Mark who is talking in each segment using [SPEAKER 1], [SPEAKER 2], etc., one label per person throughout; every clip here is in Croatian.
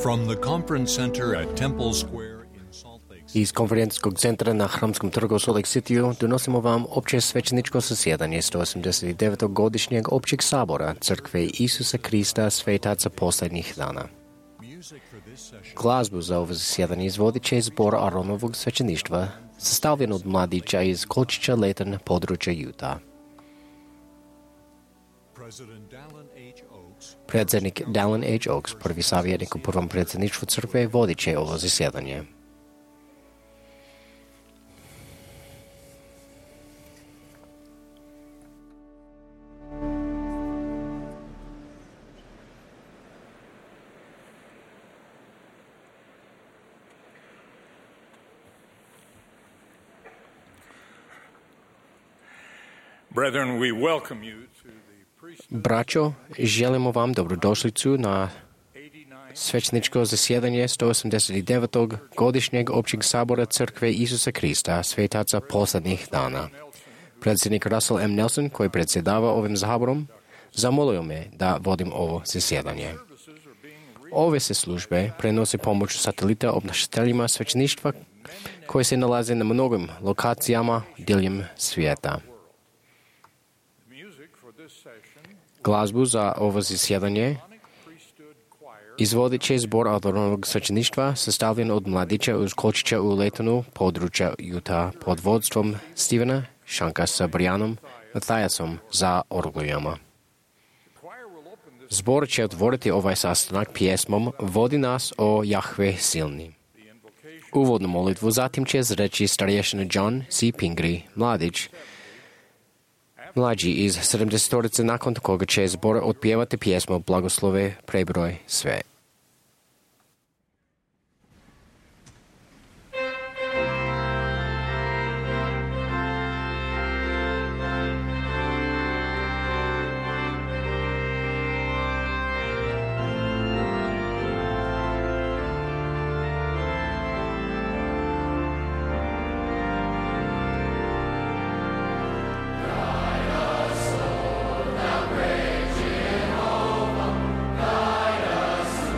[SPEAKER 1] From the conference center at Temple Square in Salt Lake City.
[SPEAKER 2] Из конференцскog центра на Храмском тргу Солт Лейк Ситiju donosimo vam opće svećeničko zasjedanje 189. godišnjeg općeg sabora Crkve Isusa Krista svetaca posljednjih dana. Glazbu za ovo zasjedanje izvodit će zbor Aronovog svećeništva, sastavljen od mladića iz Kolčića Letan područja Utah. Predsjednik Dallin H. Oaks, prvi savjetnik u prvom predsjedništvu crkve, vodit će ovo zasjedanje.
[SPEAKER 3] Brethren, we welcome you to the priesthood.
[SPEAKER 2] Braćo, želimo vam dobrodošlicu na svećničko zasjedanje 189. godišnjeg općeg sabora Crkve Isusa Krista svetaca posljednjih dana. Predsjednik Russell M. Nelson, koji predsjedava ovim saborom, zamolio me da vodim ovo zasjedanje. Ove se službe prenose pomoću satelita obnašateljima svećništva koji se nalaze na mnogim lokacijama diljem svijeta. Glazbu za ovo zasjedanje izvodit će zbor Aronovog svećeništva sastavljen od mladića iz Kolčića u Letanu, područja Utah, pod vodstvom Stevena Šanka sa Brianom Mathajasom za orglijama. Zbor će otvoriti ovaj sastanak pjesmom Vodi nas, o Jahve silni. Uvodnu molitvu zatim će izreći starješina John C. Pingree, mlađi iz 70-torice, nakon koga će zbor otpjevati pjesmu Blagoslove prebroj sve.
[SPEAKER 4] Guide us,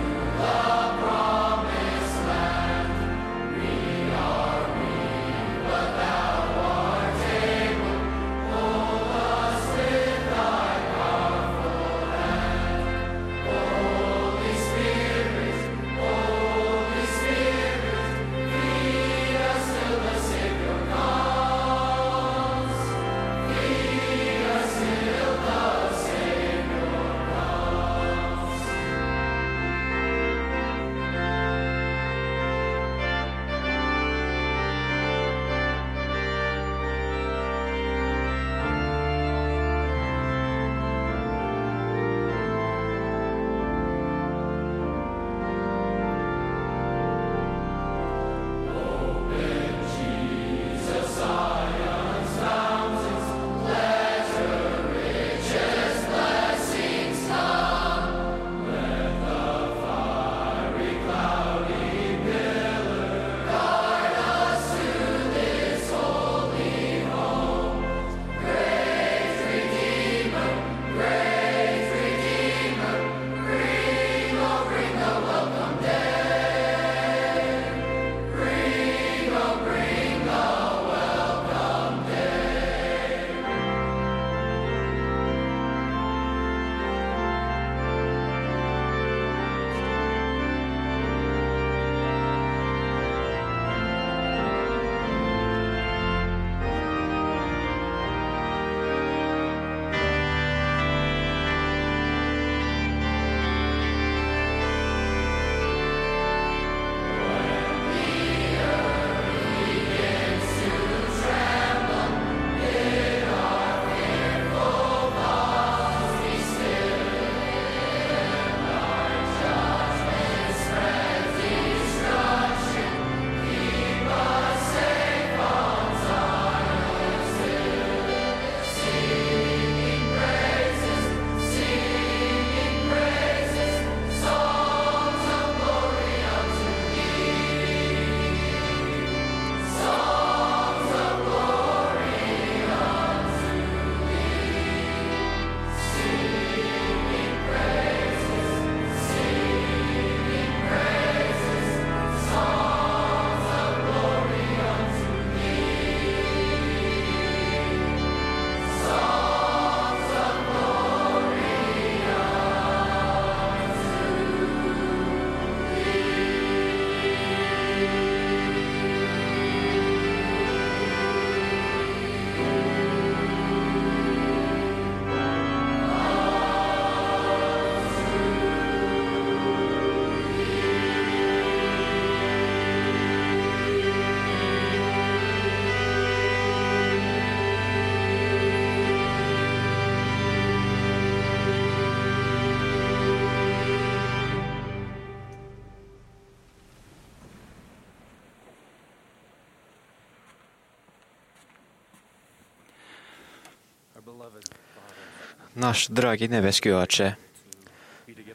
[SPEAKER 4] Naš dragi nebeski Oče,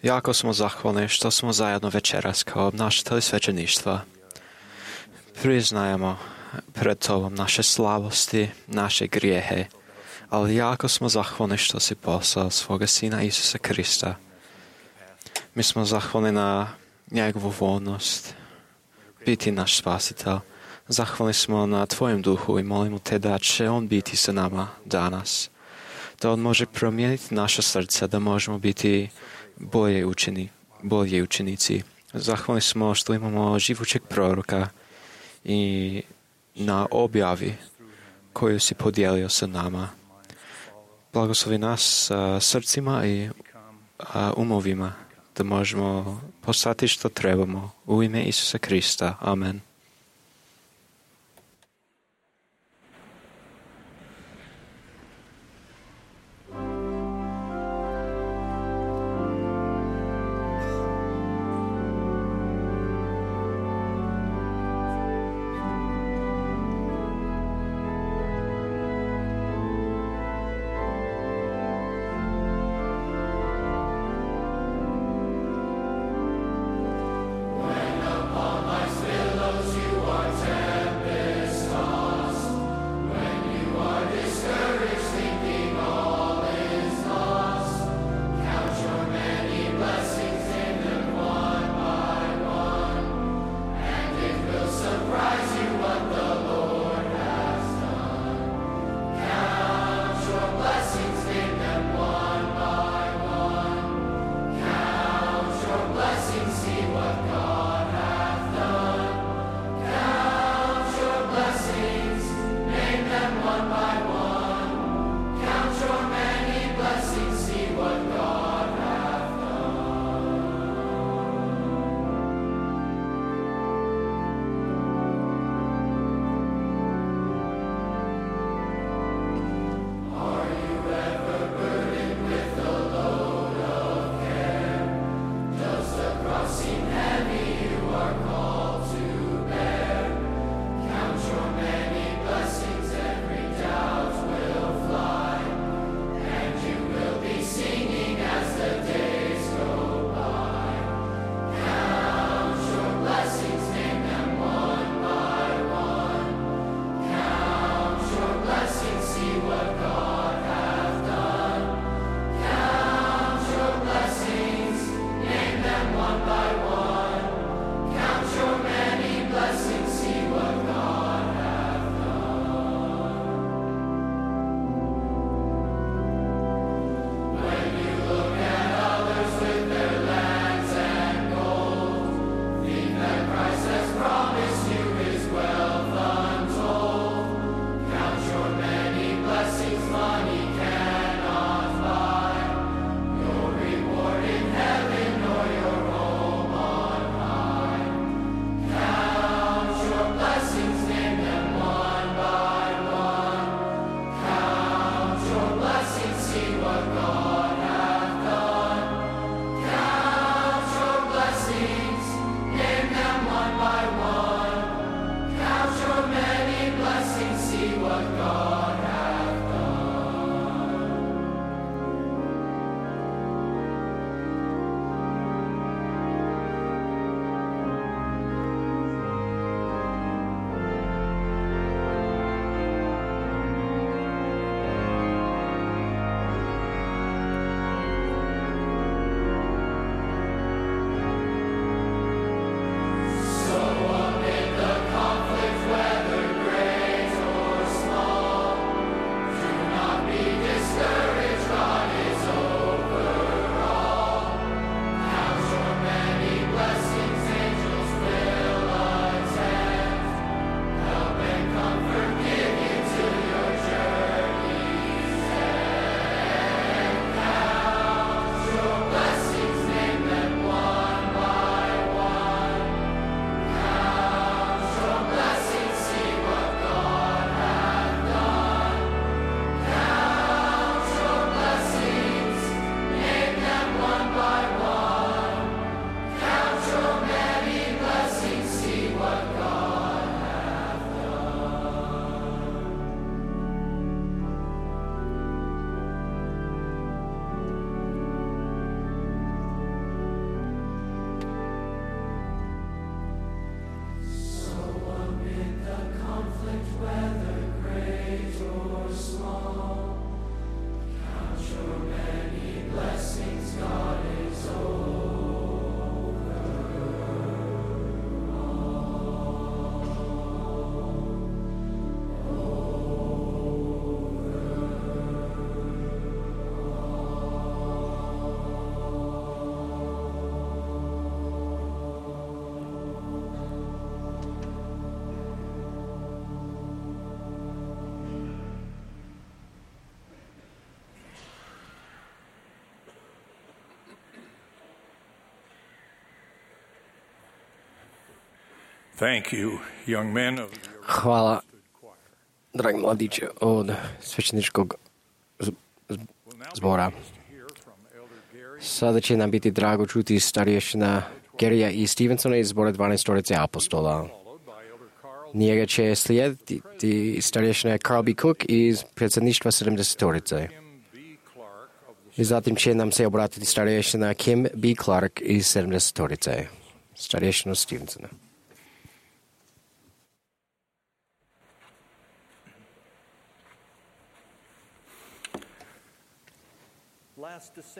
[SPEAKER 4] jako smo zahvalni što smo zajedno večeras kao obnašatelji svećeništva. Priznajemo pred Tobom naše slabosti, naše grijehe, ali jako smo zahvalni što si poslao svoga Sina Isusa Krista. Mi smo zahvalni na njegovu voljnost biti naš spasitelj. Zahvalni smo na Tvojem duhu i molimo Te da će On biti sa nama danas. Da On može promijeniti naše srca, da možemo biti bolji učenici. Zahvalni smo što imamo živućeg proroka i na objavi koju si podijelio sa nama. Blagoslovi nas srcima i umovima da možemo postati što trebamo. U ime Isusa Krista. Amen.
[SPEAKER 5] Small
[SPEAKER 3] Thank you, young men of the
[SPEAKER 2] Hvala, dragi mladiće, od svećeničkog zbora. Sada će nam biti drago čuti starješina Gerija i Stevensona iz zbora 12 apostola. Njega će slijediti starješina Carl B. Cook iz predsjedništva 70. I zatim će nam se obratiti starješina Kim B. Clark iz 70. Starješina Stevensona.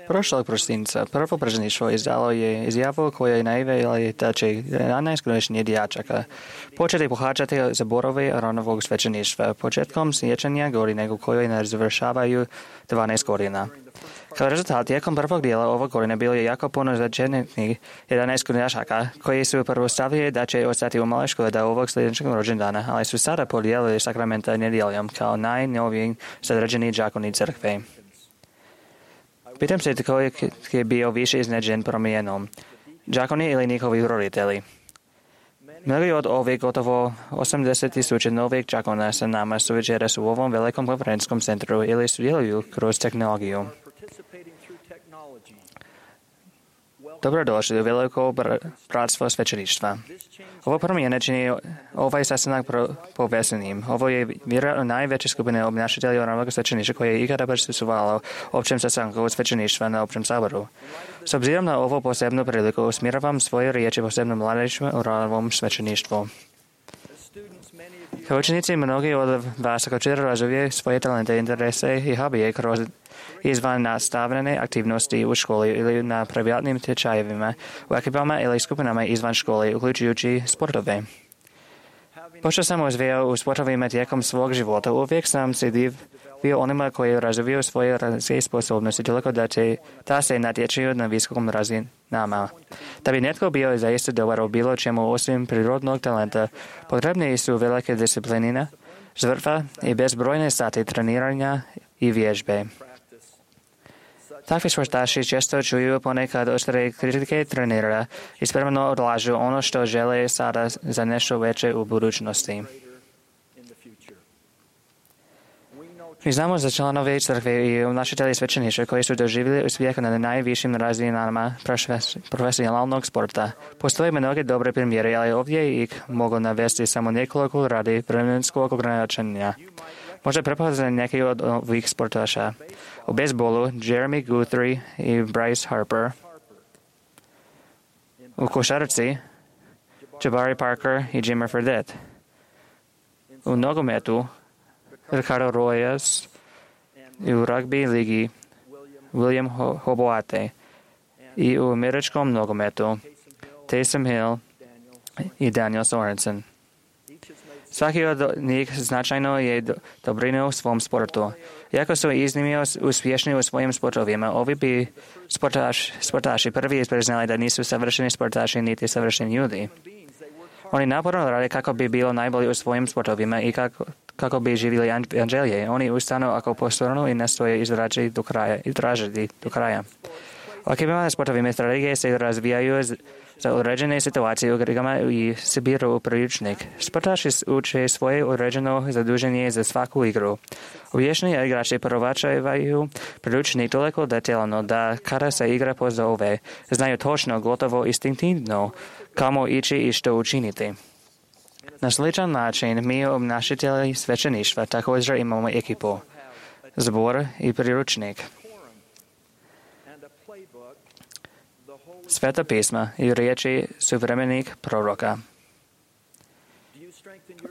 [SPEAKER 5] Prošlog prosinca prvo predsjedništvo izdalo je izjavu koja je najavila da će 11 godišnjih dječaka početi pohađati zborove ranovog svećeništva početkom siječnja godine u kojoj ne završavaju 12 godina. Kao rezultat, tijekom prvog dijela ovog godine bilo je jako puno začetnih 11 dječaka koji su prvo stavili da će ostati u maloj školi do ovog sljedećeg rođendana, ali su sada podijelili sakramenta nedjeljom kao najnoviji zadržani đakoni crkve. Pitam se tko je bio više iznenađen promjenom, đakoni ili njihovi roditelji. Mnogi od ovih gotovo 80,000 novih đakona sa nama su večeras u ovom velikom konferencijskom centru ili sudjeluju kroz tehnologiju. Dobrodošli u veliko bratstvo svećeništva. Ovo promjene čini ovaj sastanak povezanim. Ovo je vjerojatno najveća skupina obnašatelja ranovog svećeništva koje je ikada prisustvovalo općem sastanku svećeništva na općem saboru. S obzirom na ovo posebnu priliku usmjeravam svoje riječi posebno mladežima u ranovom svećeništvu. Kao učenici, mnogi od vas također razvijaju svoje talente, interese i hobije kroz izvan nastavljene aktivnosti u školi ili na privatnim tečajevima, u ekipama ili skupinama izvan škole, uključujući sportove. Pošto sam uzvijao u sportovima tijekom svog života, uvijek sam se divio onima koji razvijaju svoje različite sposobnosti toliko da se natječuju na visokom razinama. Da bi netko bio zaista dobar u bilo čemu osim prirodnog talenta, potrebne su velike disciplinina, žrtva i bezbrojne sati treniranja i vježbe. Takvi sportaši često čuju ponekad oštre kritike trenera i spremno odlažu ono što žele sada za nešto veće u budućnosti. Mi znamo za članove crkve i obnašatelji svećeništva koji su doživjeli uspjeh na najvišim razinama profesionalnog sporta. Postoje mnoge dobre primjere, ali ovdje ih mogu navesti samo nekoliko radi vremenskog ograničenja. Možda prepoznati neki od ovih sportaša. U bejsbolu Jeremy Guthrie i Bryce Harper. U košarci Jabari Parker i Jimmy Fredette. U nogometu Ricardo Rojas i u rugby ligi William Hoboate i u američkom nogometu Taysom Hill i Daniel Sorensen. Svaki od njih značajno je dobrinuo u svom sportu. Iako su iznimno uspješni u svojim sportovima, ovi bi sportaši prvi priznali da nisu savršeni sportaši niti savršeni ljudi. Oni naporno rade kako bi bilo najbolji u svojim sportovima i kako bi živjeli anđelje. Oni ustanu ako postornu i nastoje izražiti do kraja. U ekipama sportovima strategije se razvijaju za određene situacije u igrama i sabiru u priručnik. Sportaši uče svoje određeno zaduženje za svaku igru. Uvješni igrači provačavaju priručnik toliko detaljno da kada se igra pozove, znaju točno, gotovo instinktivno kamo ići i što učiniti. Na sličan način mi obnašatelji svećeništva također imamo ekipu, zbor i priručnik. Sveta pisma i riječi suvremenih proroka.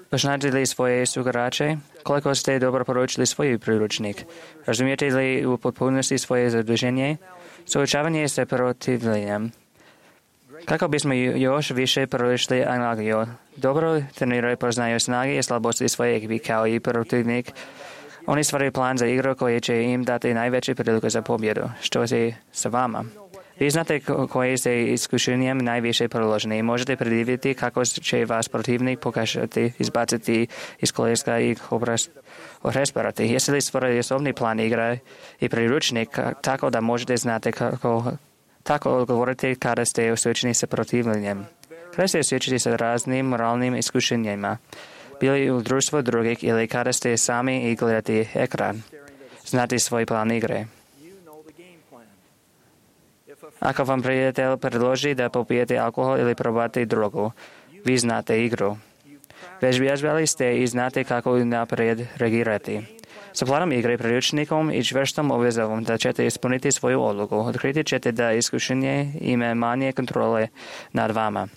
[SPEAKER 5] Poznate li svoje sugrače? Koliko ste dobro poručili svoj priručnik? Razumijete li u potpunosti svoje zaduženje? Suočavanje sa protivljenjem. Kako bismo još više poručili analogiju? Dobro treniraju poznaju snage i slabosti svoje ekipi kao i protivnik. Oni stvaraju plan za igru koji će im dati najveće priliku za pobjedu. Što je sa vama? Vi znate koje ste iskušenjem najviše proloženi i možete predvidjeti kako će vas protivnik pokušati izbaciti iz koljeska i rasparati. Jeste li stvorili osobni plan igre i priručnik tako da možete znati kako odgovoriti kada ste suočeni sa protivljenjem? Prestali svědčit se rázným morálním iskušeníma. Byli u družstva druhých ili kada ste sami i gledati ekran. Znate svoj plán igre. Ako vám priateľ predloží da popijete alkohol ili probate drogu, vy znáte igru. Bežali ste i znáte, kako napred reagirati. S plánom igry priručníkom i čvrstom obvezovom da ćete ispuniti svoju odluku. Odkriti ćete da iskušenje ima manje kontrole nad vama.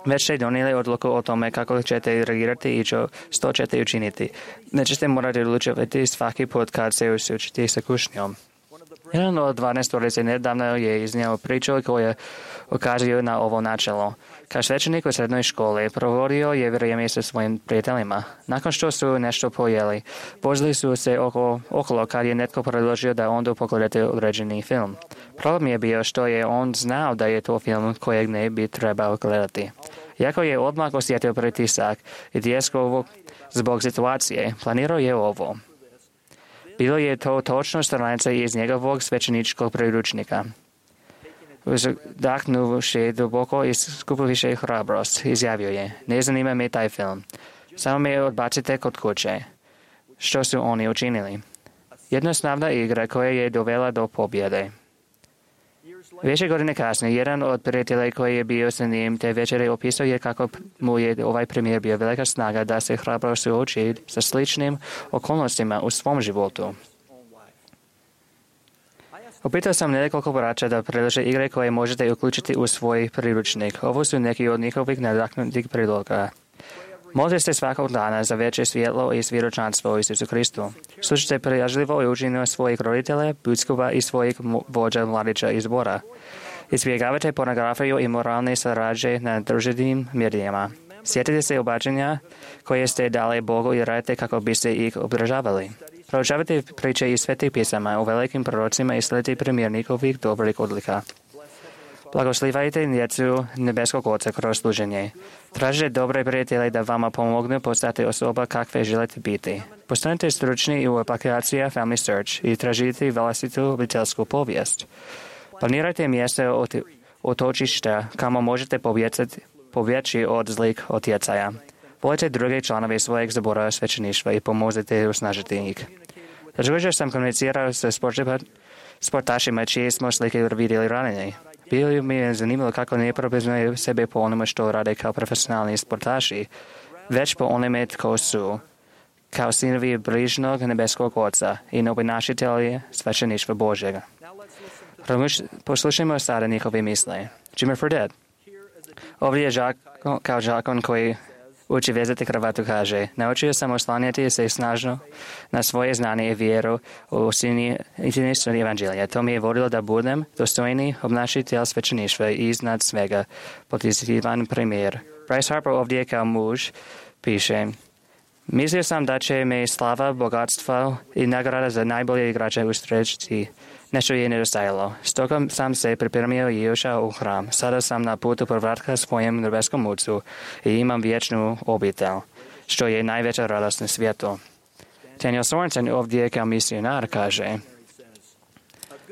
[SPEAKER 5] Već ste donijeli odluku o tome kako ćete reagirati i što ćete učiniti. Nećete morati odlučivati svaki put kad se usrećete sa kušnjom. Jedan od 12 nedavno je iznio priču koja ukazuje na ovo načelo. Kao svećenik u srednjoj školi provodio je vrijeme sa svojim prijateljima. Nakon što su nešto pojeli, vozili su se okolo kad je netko predložio da onda pogledate određeni film. Problem je bio što je on znao da je to film kojeg ne bi trebao gledati. Iako je odmah osjetio pritisak i tjesku zbog situacije, planirao je ovo. Bilo je to točno stranica iz njegovog svećeničkog priručnika. Uzdahnuvši duboko i skupovši hrabrost, izjavio je, ne zanima me taj film. Samo me odbacite kod kuće. Što su oni učinili? Jednostavna igra koja je dovela do pobjede. Više godine kasnije, jedan od prijatelja koji je bio sa njim te večere opisao je kako mu je ovaj primjer bio velika snaga da se hrabro suoči sa sličnim okolnostima u svom životu. Upitao sam nekoliko braća da predlože igre koje možete uključiti u svoj priručnik. Ovo su neki od njihovih nadaknutih predloga. Molite se svakog dana za veće svjetlo i svjedočanstvo u Isusu Kristu. Slušajte prijažljivo i učinimo svojih roditelja, biskupa i svojih vođa mladića iz zbora. Izbjegavajte pornografiju i moralne sarađe na društvenim medijima. Sjetite se obačenja koje ste dali Bogu i radite kako biste ih obdržavali. Proučavajte priče iz svetih pisama o velikim prorocima i sledite primjer njihovih dobrih odlika. Blagoslivajte djecu nebeskog Oca kroz služenje. Tražite dobre prijatelje da vama pomognu postati osoba kakve želite biti. Postanite stručni u aplikacija Family Search i tražite vlastitu obiteljsku povijest. Planirajte mjesto otočišta kamo možete pobjeći od zlih utjecaja. Volite druge članove svojeg zbora svećeništva i pomozite usnažiti ih. Također sam komunicirao sa sportašima čije smo slike vidjeli ranije. Bilo mi je zanimljivo kako ne prepoznaju sebe po onome što rade kao profesionalni sportaši, već po onome tko su, kao sinovi bližnog nebeskog Oca i novinašitelji svećeništva Božjega. Poslušajmo sada njihove misle. Jimmy Fredette. Ovdje je kao žakon koji uči vezati kravatu, kaže, naučio sam oslanjati se snažno na svoje znanje i vjeru u istinu evanđelja. To mi je vodilo da budem dostojni obnašitelj svećeništva i iznad svega pozitivan primjer. Bryce Harper ovdje kao muž piše, mislio sam da će me slava, bogatstva i nagrada za najbolje igrače ustreći. Nešto je nedostajalo. Stoga sam se pripremio i ušao u hram. Sada sam na putu povratka svojem nebeskom Ocu i imam vječnu obitelj, što je najveća radost na svijetu. Daniel Sorensen ovdje kao misionar kaže,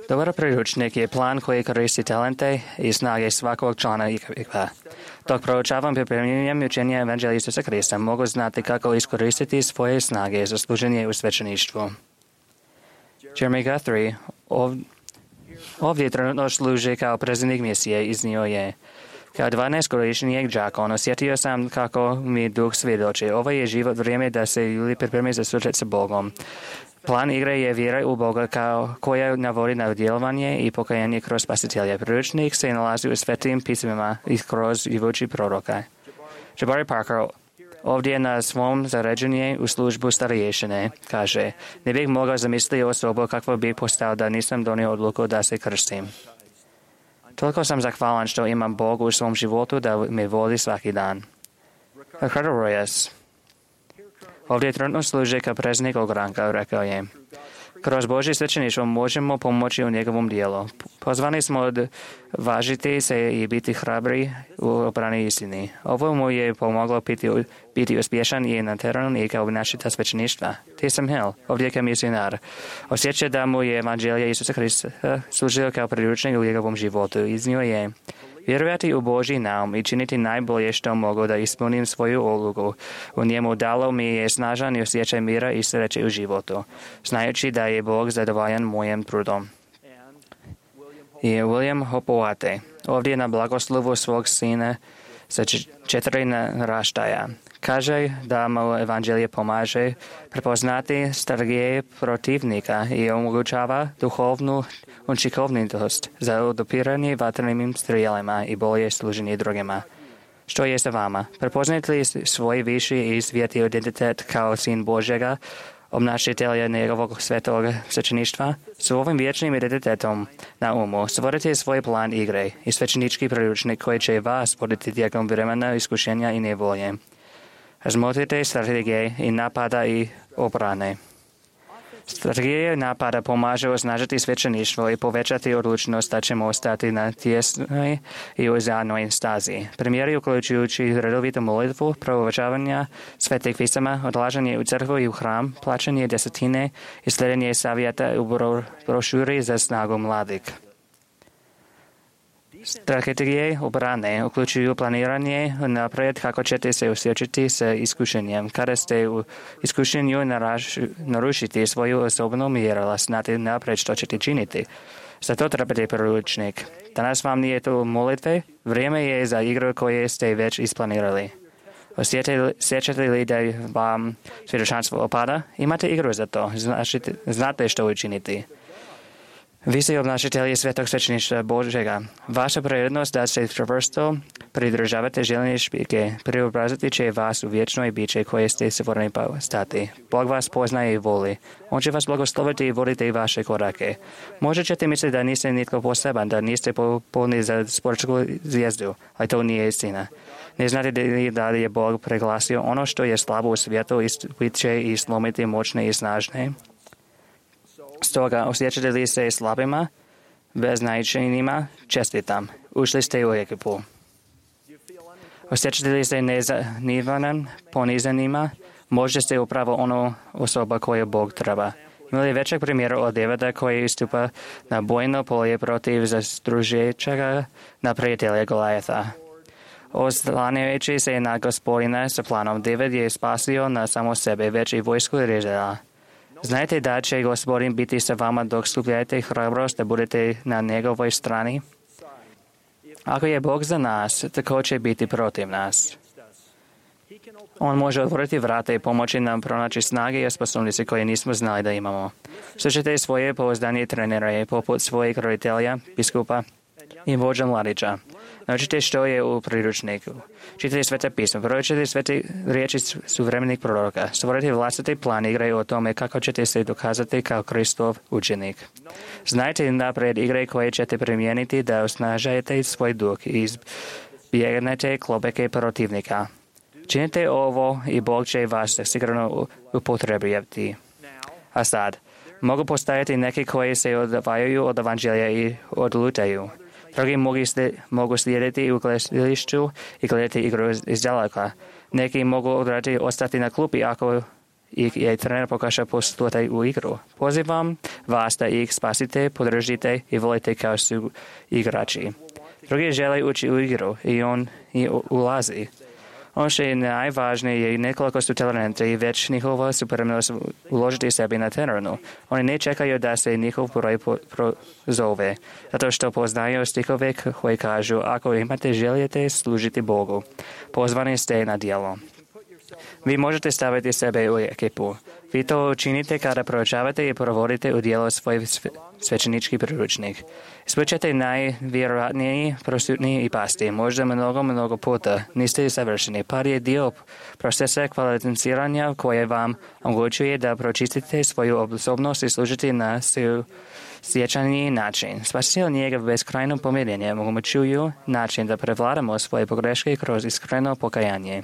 [SPEAKER 5] dobar priručnik je plan koji koristi talente i snage svakog člana ekipa. Dok proučavam pripremljenjem učenja evanđelja Isusa Krista, mogu znati kako iskoristiti svoje snage za služenje u svećeništvu. Jeremy Guthrie ovdje trenutno služi kao predsjednik misije, iznio je. Kao 12-godišnjeg đakon osjetio sam kako mi duh svjedoči. Ovo je život vrijeme da se ljudi pripremi za susret sa Bogom. Plan igre je vjera u Boga koja navodi na djelovanje i pokajanje kroz spasitelja. Priručnik se nalazi u svetim pismima i kroz živući proroka. Jabari Parker ovdje na svom zaređenju u službu starješine kaže, ne bih mogao zamisliti osobu kakva bih postao da nisam donio odluku da se krstim. Toliko sam zahvalan što imam Bogu u svom životu da me vodi svaki dan. Ricardo Rojas ovdje trenutno služi kao predsjednik ogranka, rekao je. Kroz Božje svećeništvo možemo pomoći u njegovom dijelu. Pozvani smo odvažiti se i biti hrabri u obrani istini. Ovo mu je pomoglo biti uspješan i na terenu i kao obnašitelj svećeništva. Tim Hill, ovdje kao misionar, osjeća da mu je evanđelje Isusa Krista služio kao priručnik u njegovom životu. Iznio je, Vjerovati u Boží naum i činiti najbolje što mogu da ispunim svoju ulogu. U njemu dalo mi je snažan osjećaj mira i sreće u životu, znajući da je Bog zadovoljan mojim trudom. I William Hopoate, ovdje na blagoslovu svog sina sa 4 naraštaja. Kaže da mu evanđelje pomaže prepoznati strategije protivnika i omogućava duhovnu učinkovitost za odupiranje vatrenim strijelima i bolje služenje drugima. Što je sa vama? Prepoznate li svoj viši i sveti identitet kao sin Božjega, obnašitelja njegovog svetog svećeništva? S ovim vječnim identitetom na umu stvorite svoj plan igre i svećenički priručnik koji će vas voditi tijekom vremena iskušenja i nevolje. Razmotrite strategije i napada i obrane. Strategije napada pomažu osnažiti svećeništvo i povećati odlučnost da ćemo ostati na tjesnoj i uzajamnoj stazi. Primjeri uključujući redovitu molitvu, proučavanja svetih pisama, odlaženje u crkvu i u hram, plaćanje desetine i slijedenje savjeta u brošuri za snagu mladih. Strategije obrane uključuju planiranje naprijed kako ćete se osjećati sa iskušenjem. Kada ste u iskušenju narušiti svoju osobnu mjerila, znate naprijed što ćete činiti. Zato trebate priručnik. Danas vam nije to molitve, vrijeme je za igru koje ste već isplanirali. Osjećate li da vam svjedočanstvo opada? Imate igru za to. Znate što učiniti. Vi ste obnašatelji svetog svećeništva Božega. Vaša prirodnost da se čvrsto pridržavate željene špike preobraziti će vas u vječnoj biće koje ste stvoreni stati. Bog vas poznaje i voli. On će vas blagosloviti i voditi vaše korake. Možda ćete misliti da niste nitko poseban, da niste popolni za sportsku zvijezdu, ali to nije istina. Ne znate da li je Bog preglasio ono što je slabo u svijetu i će i slomiti moćne i snažne? Stoga, osjećate li se slabima, beznačajnima? Čestitam. Ušli ste u ekipu. Osjećate li se nezanimanim, ponizanima? Možda ste upravo ono osoba koju Bog treba. Imali većeg primjera od Davida koji istupa na bojno polje protiv zastružećega na prijatelja Golijata. Oslanjajući se na Gospodina sa planom, David je spasio na samo sebe, već i vojsku Izraela. Znajte da će Gospodin biti sa vama dok skupljate hrabrost da budete na njegovoj strani. Ako je Bog za nas, tako će biti protiv nas. On može otvoriti vrata i pomoći nam pronaći snage i sposobnosti koje nismo znali da imamo. Slušajte svoje pouzdanje trenere poput svojeg roditelja, biskupa i vođa mladića. Naučite što je u priručniku. Čitajte svete pismo, proučite svete riječi suvremenih proroka. Stvorite vlastiti plan igre o tome kako ćete se dokazati kao Kristov učenik. Znajte naprijed igre koje ćete primijeniti da osnažajete svoj duh i izbjegnete klopeke protivnika. Činite ovo i Bog će vas sigurno upotrebiti. A sad, mogu postojati neki koji se odvajaju od evanđelja i odlutaju. Drugi mogu slijediti u gledalištu i gledati igru iz daleka. Neki mogu odrati ostati na klupi ako ih je trener pokaže poslušati u igru. Pozivam vas da ih spasite, podržite i volite kao su igrači. Drugi žele ući u igru i on i ulazi. Ono što je najvažnije je nekoliko su talenti i već njihova supremnost uložiti sebi na terenu. Oni ne čekaju da se njihov broj prozove, zato što poznaju stihove koji kažu ako imate željete služiti Bogu, pozvani ste na djelo. Vi možete staviti sebe u ekipu. Vi to učinite kada proučavate i provodite u djelo svoj svećenički priručnik. Ispričate najvjerojatniji, prosutniji i pasti. Možda mnogo puta. Niste savršeni. Par je dio procesa kvalificiranja koje vam omogućuje da pročistite svoju osobnost i služite na sjećaniji način. Spasitelj njega beskrajno pomirenje omogućuju način da prevladamo svoje pogreške kroz iskreno pokajanje.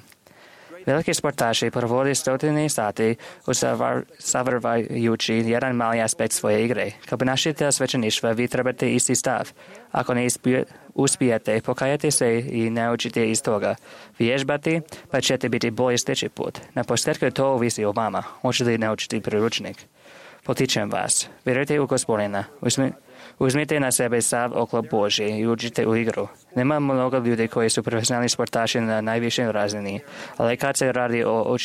[SPEAKER 5] Veliki sportaši provode stotine sati usavršavajući jedan mali aspekt svoje igre. Kao obnašatelj svećeništva vi trebate isti stav. Ako ne uspijete, pokajate se i naučite iz toga. Vježbati, pa ćete biti bolji sljedeći put. Na posljedku to ovisi o vama. Hoćete li naučiti priručnik? Potičem vas. Vjerujte u Gospodina. Uzmite na sebe sav oklop Božji i uđite u igru. Nema mnogo ljudi koji su profesionalni sportaši na najvišoj razini, ali kad se radi o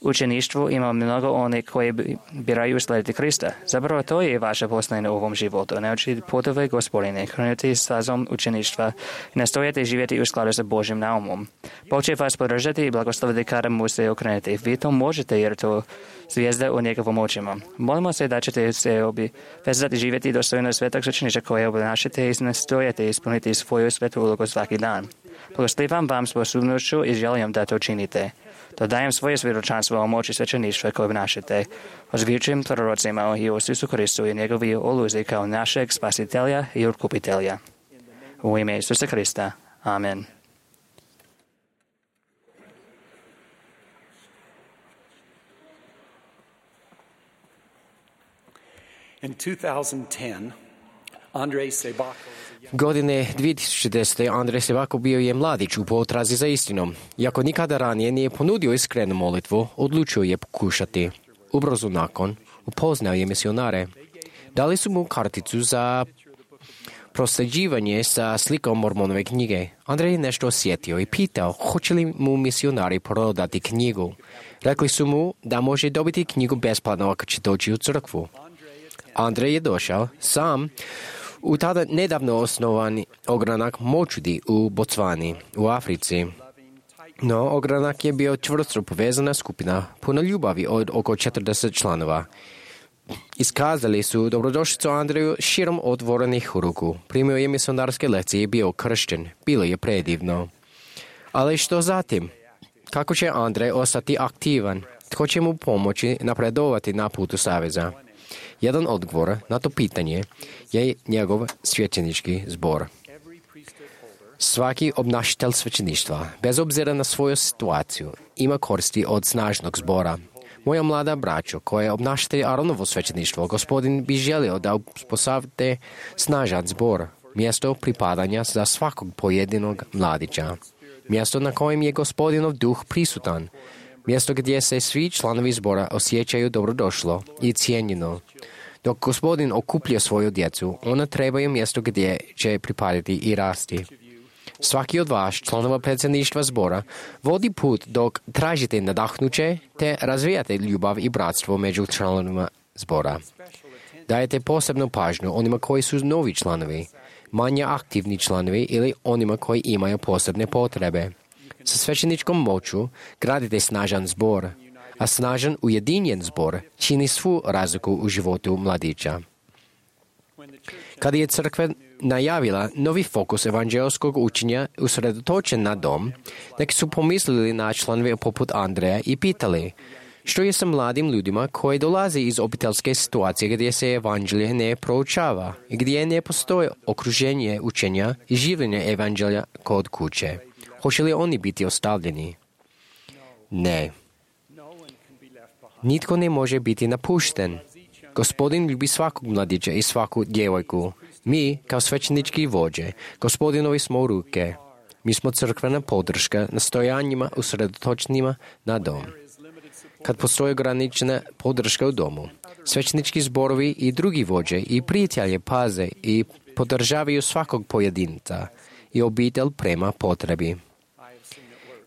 [SPEAKER 5] učeništvu, ima mnogo onih koji biraju slijediti Krista. Zapravo to je vaše poslanje u ovom životu. Naučiti putove Gospodine, krenuti stazom učeništva i nastojati živjeti u skladu sa Božjim naumom. Bog će vas podržati i blagosloviti kada mu se okrenuti. Vi to možete jer to zvijezda u njegovom očima. Molimo se da ćete se obvezati živjeti dostojno svetog učeništva koje obnašate i nastojati ispuniti svoju svetu ulogu svaki dan. Blagoslivam vam sposobnošću i želim da to činite. Dodajem svoje svjedočanstvo o moći svećeništva koje obnašate, o zvičnim prorocima o Isusu Kristu i njegovi oluzi kao našeg spasitelja i otkupitelja. U ime Isusa Krista. Amen.
[SPEAKER 6] In 2010, Andrej Sebako
[SPEAKER 2] Godine 2010. Andrej Sebako bio je mladić u potrazi za istinom. Iako nikada ranije nije ponudio iskrenu molitvu, odlučio je pokušati. Ubrzo nakon, upoznao je misionare. Dali su mu karticu za prosljeđivanje sa slikom Mormonove knjige. Andrej je nešto osjetio i pitao hoće li mu misionari prodati knjigu. Rekli su mu da može dobiti knjigu besplatno ako će doći u crkvu. Andrej je došao sam u tada nedavno osnovani ogranak Močudi u Bocvani, u Africi. No, ogranak je bio čvrsto povezana skupina, puna ljubavi od oko 40 članova. Iskazali su dobrodošlicu Andreju širom otvorenih ruku. Primio je misionarske lekcije i bio kršćen. Bilo je predivno. Ali što zatim? Kako će Andrej ostati aktivan? Tko će mu pomoći napredovati na putu saveza? Jedan odgovor na to pitanje je njegov svećenički zbor. Svaki obnašatelj svećeništva, bez obzira na svoju situaciju, ima koristi od snažnog zbora. Moja mlada braćo, koja je obnašatelj Aronovo svećeništvo, Gospodin bi želio da uspostavite snažan zbor, mjesto pripadanja za svakog pojedinog mladića, mjesto na kojem je Gospodinov duh prisutan, mjesto gdje se svi članovi zbora osjećaju dobrodošlo i cijenjeno. Dok Gospodin okuplja svoju djecu, ona trebaju mjesto gdje će pripadati i rasti. Svaki od vas, članova predsjedništva zbora, vodi put dok tražite nadahnuće te razvijate ljubav i bratstvo među članovima zbora. Dajete posebnu pažnju onima koji su novi članovi, manje aktivni članovi ili onima koji imaju posebne potrebe. Sa svećeničkom moću gradite snažan zbor, a snažan ujedinjen zbor čini svu razliku u životu mladića. Kada je crkva najavila novi fokus evanđelskog učenja usredotočen na dom, neki su pomislili na članove poput Andreja i pitali što je sa mladim ljudima koji dolaze iz obiteljske situacije gdje se evanđelje ne proučava i gdje ne postoji okruženje učenja i življenja evanđelja kod kuće. Hoće li oni biti ostavljeni? Ne. Nitko ne može biti napušten. Gospodin ljubi svakog mladića i svaku djevojku. Mi, kao svećenički vođe, Gospodinovi smo u ruke. Mi smo crkvena podrška nastojanjima usredotočenima na dom. Kad postoji ograničena podrška u domu, svećenički zborovi i drugi vođe i prijatelje paze i podržavaju svakog pojedinca i obitelj prema potrebi.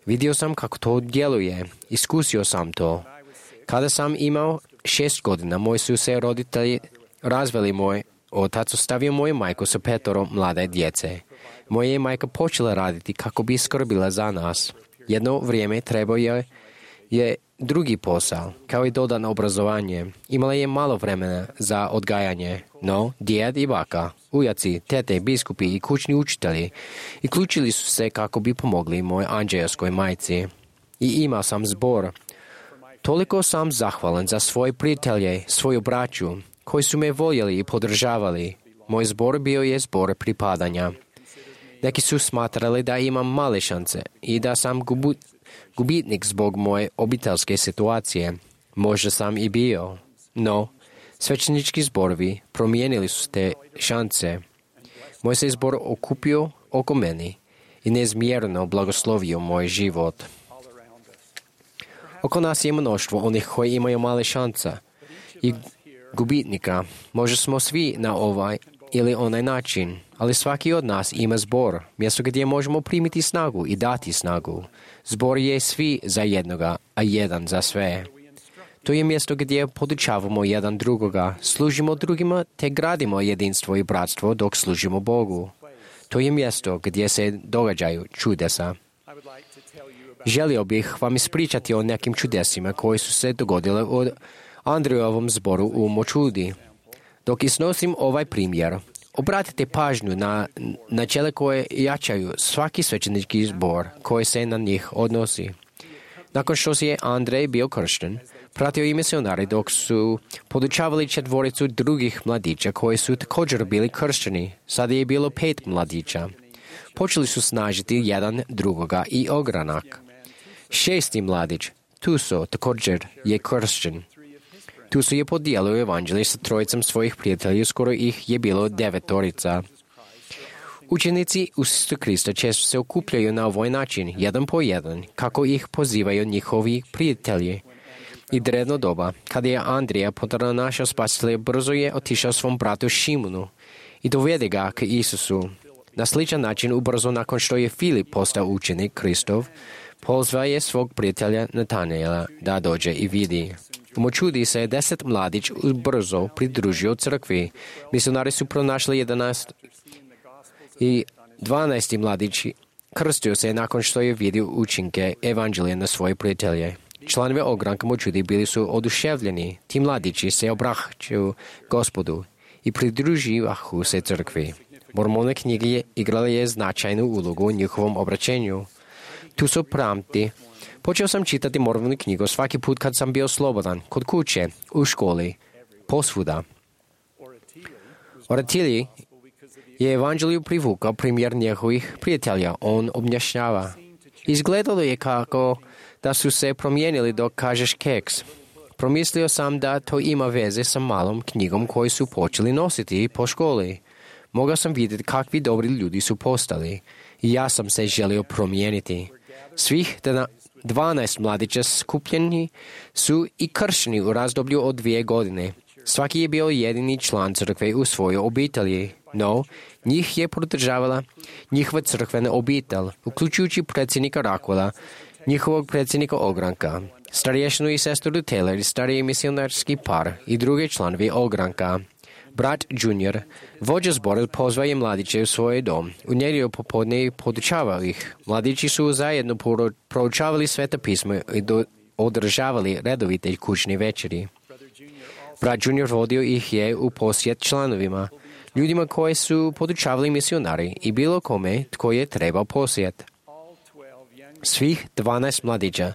[SPEAKER 2] Vidio sam kako to djeluje, iskusio sam to. Kada sam imao 6 godina, moji su se roditelji razveli. Moj otac ostavio moju majku sa 5 mlade djece. Moja je majka počela raditi kako bi skrbila za nas. Jedno vrijeme trebao je drugi posao, kao i dodano obrazovanje. Imala je malo vremena za odgajanje, no djed i baka, ujaci, tete, biskupi i kućni učitelji uključili su se kako bi pomogli mojoj anđelskoj majci. I imao sam zbor. Toliko sam zahvalan za svoje prijatelje, svoju braću, koji su me voljeli i podržavali. Moj zbor bio je zbor pripadanja. Neki su smatrali da imam male šanse i da sam gubitnik zbog moje obiteljske situacije. Možda sam i bio, no svećenički zborovi promijenili su te šanse. Moj se zbor okupio oko meni i neizmjerno blagoslovio moj život. Oko nas je mnoštvo onih koji imaju male šanse i gubitnika. Možda smo svi na ili onaj način, ali svaki od nas ima zbor, mjesto gdje možemo primiti snagu i dati snagu. Zbor je svi za jednoga, a jedan za sve. To je mjesto gdje podučavamo jedan drugoga, služimo drugima te gradimo jedinstvo i bratstvo dok služimo Bogu. To je mjesto gdje se događaju čudesa. Želio bih vam ispričati o nekim čudesima koji su se dogodile u Andrejovom zboru u Močudi. Dok iznosim ovaj primjer, obratite pažnju na načela koje jačaju svaki svećenički zbor koji se na njih odnosi. Nakon što je Andrej bio kršten, pratio i misionari dok su podučavali 4 drugih mladića koji su također bili kršteni. Sada je bilo 5 mladića. Počeli su snažiti jedan drugoga i ogranak. 6. mladić, Tuso, također je kršten. Tuso je podijelio evanđelje sa 3 svojih prijatelja, skoro ih je bilo 9. Učenici Isusa Krista često se okupljaju na ovaj način, jedan po jedan, kako ih pozivaju njihovi prijatelji. I drevno doba, kada je Andrija našao spasitelja, brzo je otišao svom bratu Šimunu i dovede ga k Isusu. Na sličan način, ubrzo nakon što je Filip postao učenik Kristov, pozvao je svog prijatelja Natanijela da dođe i vidi. U Močudi se je 10 mladić brzo pridružio crkvi. Misionari su pronašli 11 i 12. mladić krstio se nakon što je vidio učinke evanđelja na svoje prijatelje. Članovi ogranka Močudi bili su oduševljeni. Ti mladići se obraćaju Gospodu i pridruživahu se crkvi. Mormonne knjige igrale je značajnu ulogu u njihovom obraćenju. Tu su pamti. Počeo sam čitati Mormonu knjigu svaki put kad sam bio slobodan, kod kuće, u školi, posvuda. Oratilji je evanđelju privukao primjer njegovih prijatelja. On objašnjava. Izgledalo je kako da su se promijenili dok kažeš keks. Promislio sam da to ima veze sa malom knjigom koju su počeli nositi po školi. Mogao sam vidjeti kakvi dobri ljudi su postali i ja sam se želio promijeniti. Svih 12 mladića skupljeni su i kršteni u razdoblju od 2 godine. Svaki je bio jedini član crkve u svojoj obitelji, no njih je podržavala njihova crkvena obitelj, uključujući predsjednika Rakola, njihovog predsjednika ogranka, starješinu i sestru Taylor, stariji misionarski par i drugi članovi ogranka. Brat Junior, vođa zbora, pozvao je mladiće u svoj dom. U nedjelju popodne i podučavao ih. Mladići su zajedno proučavali Sveto pismo i održavali redovite kućne večeri. Brat Junior vodio ih je u posjet članovima, ljudima koji su podučavali misionari i bilo kome tko je trebao posjet. Svih 12 mladića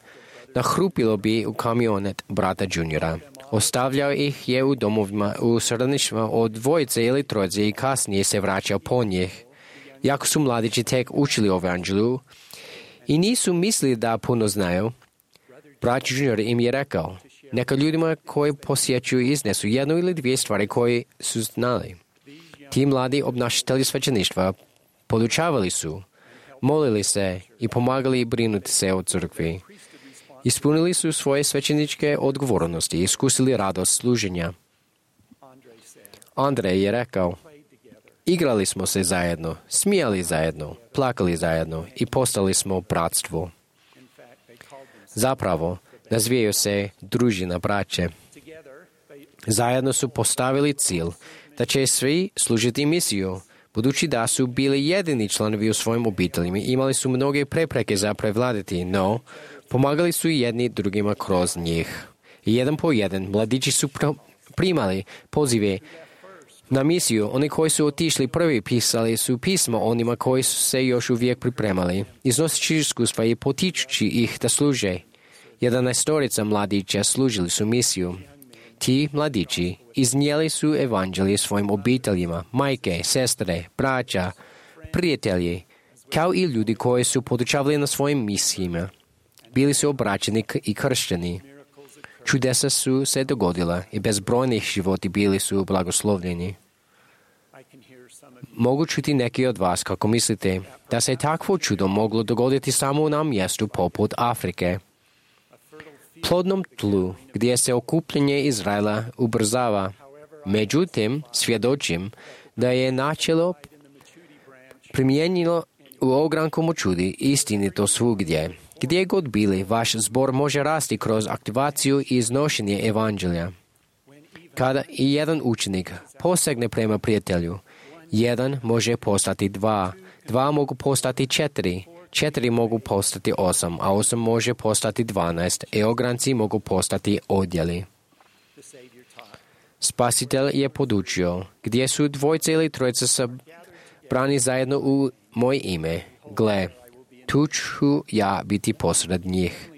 [SPEAKER 2] nahrupilo bi u kamionet brata Juniora. Ostavljao ih je u domovima u srodništvima od 2 ili 3 i kasnije se vraćao po njih. Jako su mladići tek učili o evanđelju i nisu mislili da puno znaju, brat Junior im je rekao, neka ljudima koji posjećuju iznesu 1 ili 2 stvari koje su znali. Ti mladi obnašatelji svećeništva podučavali su, molili se i pomagali brinuti se o crkvi. Ispunili su svoje svećeničke odgovornosti i iskusili radost služenja. Andrej je rekao, igrali smo se zajedno, smijali zajedno, plakali zajedno i postali smo bratstvo. Zapravo, nazivaju se družina braće. Zajedno su postavili cilj da će svi služiti misiju. Budući da su bili jedini članovi u svojim obiteljima, imali su mnoge prepreke za prevladati, no pomagali su jedni drugima kroz njih. I jedan po jedan mladići su primali pozive na misiju. Oni koji su otišli prvi pisali su pismo onima koji su se još uvijek pripremali, iznoseći iskustva i potičući ih da služe. 11 mladića služili su misiju. Ti mladići iznijeli su evanđelje svojim obiteljima, majke, sestre, braća, prijatelji, kao i ljudi koji su podučavali na svojim misijima. Bili su obraćeni i kršteni. Čudesa su se dogodila i bezbrojnih životi bili su blagoslovljeni. Mogu čuti neki od vas kako mislite da se takvo čudo moglo dogoditi samo na mjestu poput Afrike. Plodnom tlu gdje se okupljanje Izraela ubrzava. Međutim, svjedočim da je načelo primijenilo u ogranku Močudi istinito svugdje. Gdje god bili, vaš zbor može rasti kroz aktivaciju i iznošenje evanđelja. Kada i jedan učenik posegne prema prijatelju, jedan može postati 2, 2 mogu postati 4, 4 mogu postati 8, a 8 može postati 12, i ogranci mogu postati odjeli. Spasitelj je podučio, gdje su dvojce ili trojica sabrani zajedno u moje ime, gle, tu ću ja biti posred njih.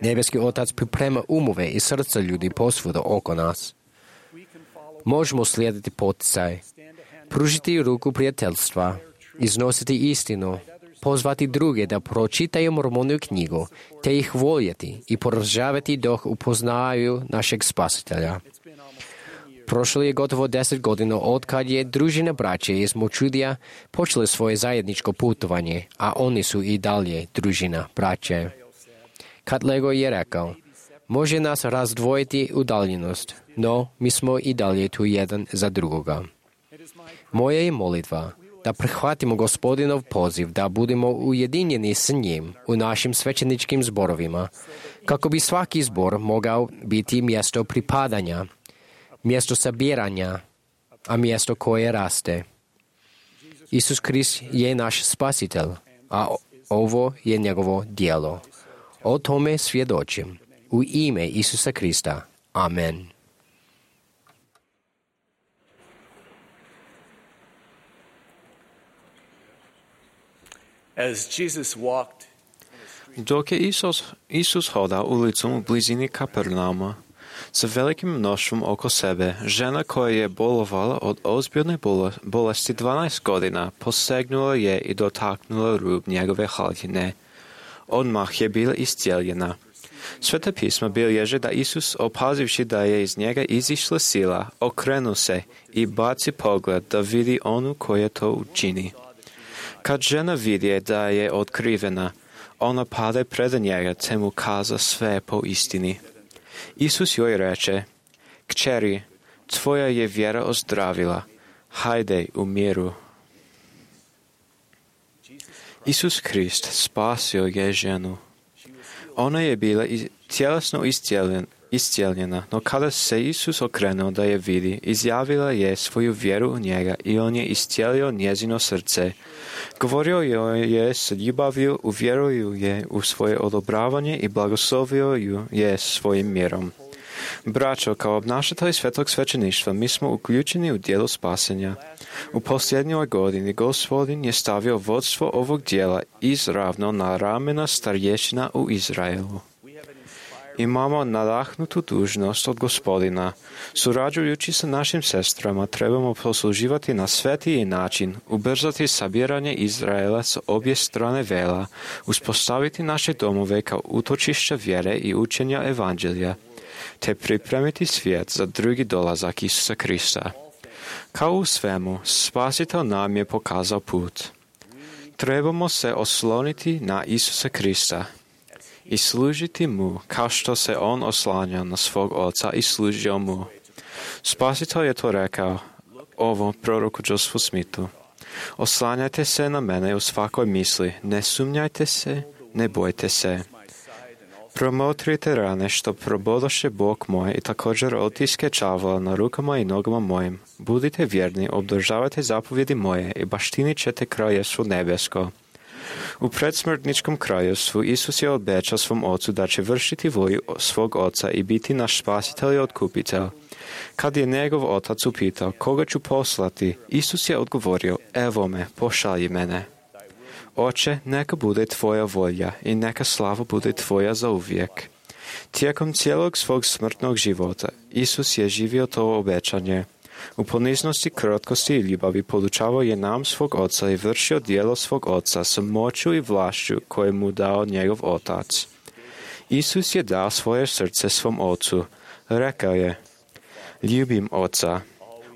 [SPEAKER 2] Nebeski Otac priprema umove i srca ljudi posvuda oko nas. Možemo slijediti poticaj, pružiti ruku prijateljstva, iznositi istinu, pozvati druge da pročitaju Mormoniju knjigu, te ih voljeti i podržavati dok upoznaju našeg Spasitelja. Prošlo je gotovo 10 godina od kad je družina braće iz Močudija počeli svoje zajedničko putovanje, a oni su i dalje družina braće. Katlego je rekao, može nas razdvojiti udaljenost, no mi smo i dalje tu jedan za drugoga. Moja je molitva da prihvatimo Gospodinov poziv, da budemo ujedinjeni s njim u našim svećeničkim zborovima, kako bi svaki zbor mogao biti mjesto pripadanja, mjesto sabiranja, a mjesto koje raste. Isus Krist je naš Spasitelj, a ovo je njegovo djelo. O tome svjedočim. U ime Isusa Krista. Amen.
[SPEAKER 6] As Jesus walked,
[SPEAKER 4] Dok je Isus hodao ulicom u blizini Kapernauma, sa velikim mnoštvom oko sebe, žena koja je bolovala od ozbiljne bolesti 12 godina, posegnula je i dotaknula rub njegove haljine. Odmah je bila iscijeljena. Sveta pisma bilježe da Isus, opazivši da je iz njega izišla sila, okrenu se i baci pogled da vidi onu koja to učini. Kad žena vidje da je otkrivena, ona pade pred njega te mu kaza sve po istini. Isus joj reče, kćeri, tvoja je vjera ozdravila, hajde u miru. Isus Krist spasio je ženu. Ona je bila tjelesno iscijeljena, no kada se Isus okrenuo da je vidi, izjavila je svoju vjeru u njega i on je iscijelio njezino srce. Govorio joj je s ljubavlju, uvjeruju je u svoje odobravanje i blagoslovio ju je svojim mirom. Braćo, kao obnašatelji svetog svećeništva, mi smo uključeni u djelo spasenja. U posljednjoj godini Gospodin je stavio vodstvo ovog djela izravno na ramena starješina u Izraelu. Imamo nadahnutu dužnost od Gospodina. Surađujući sa našim sestrama, trebamo posluživati na svetiji način, ubrzati sabiranje Izraela s obje strane vela, uspostaviti naše domove kao utočišća vjere i učenja evanđelja, te pripremiti svijet za drugi dolazak Isusa Krista. Kao u svemu, Spasitelj nam je pokazao put. Trebamo se osloniti na Isusa Krista i služiti mu kao što se on oslanjao na svog oca i služio mu. Spasitelj je to rekao, ovo proroku Josephu Smithu. Oslanjajte se na mene u svakoj misli, ne sumnjajte se, ne bojte se. Promotrite rane što probodoše Bog moj i također otiske čavola na rukama i nogama mojim. Budite vjerni, obdržavajte zapovjedi moje i baštinit ćete kraljevstvo nebesko. U predsmrtničkom kraljevstvu Isus je obećao svom ocu da će vršiti volju svog oca i biti naš spasitelj i otkupitelj. Kad je njegov otac upitao koga ću poslati, Isus je odgovorio, evo me, pošalji mene. Oče, neka bude tvoja volja i neka slava bude tvoja zauvijek. Tijekom cijelog svog smrtnog života Isus je živio to obećanje. U poniznosti, krotkosti i ljubavi podučavao je nam svog oca i vršio djelo svog oca sa moću i vlašću koje mu dao njegov otac. Isus je dao svoje srce svom ocu. Rekao je, ljubim oca,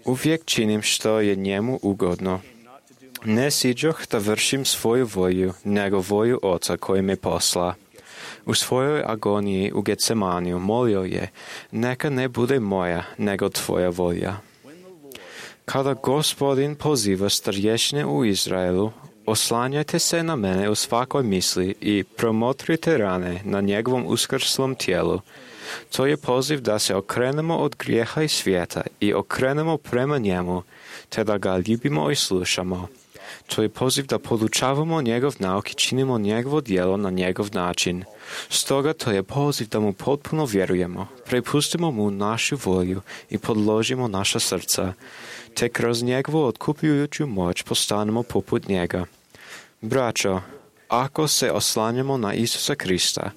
[SPEAKER 4] uvijek činim što je njemu ugodno. Ne siđoh da vršim svoju volju, nego volju oca koji me posla. U svojoj agoniji u Getsemaniju molio je, neka ne bude moja, nego tvoja volja. Kada Gospodin poziva starješine u Izraelu, oslanjajte se na mene u svakoj misli i promotrite rane na njegovom uskrslom tijelu. To je poziv da se okrenemo od grijeha i svijeta i okrenemo prema njemu, te da ga ljubimo i slušamo. To je poziv da podučavamo njegov nauk i činimo njegovo djelo na njegov način. Stoga to je poziv da mu potpuno vjerujemo, prepustimo mu našu volju i podložimo naša srca, te kroz njegovu otkupljujuću moć postanemo poput njega. Braćo, ako se oslanjamo na Isusa Krista,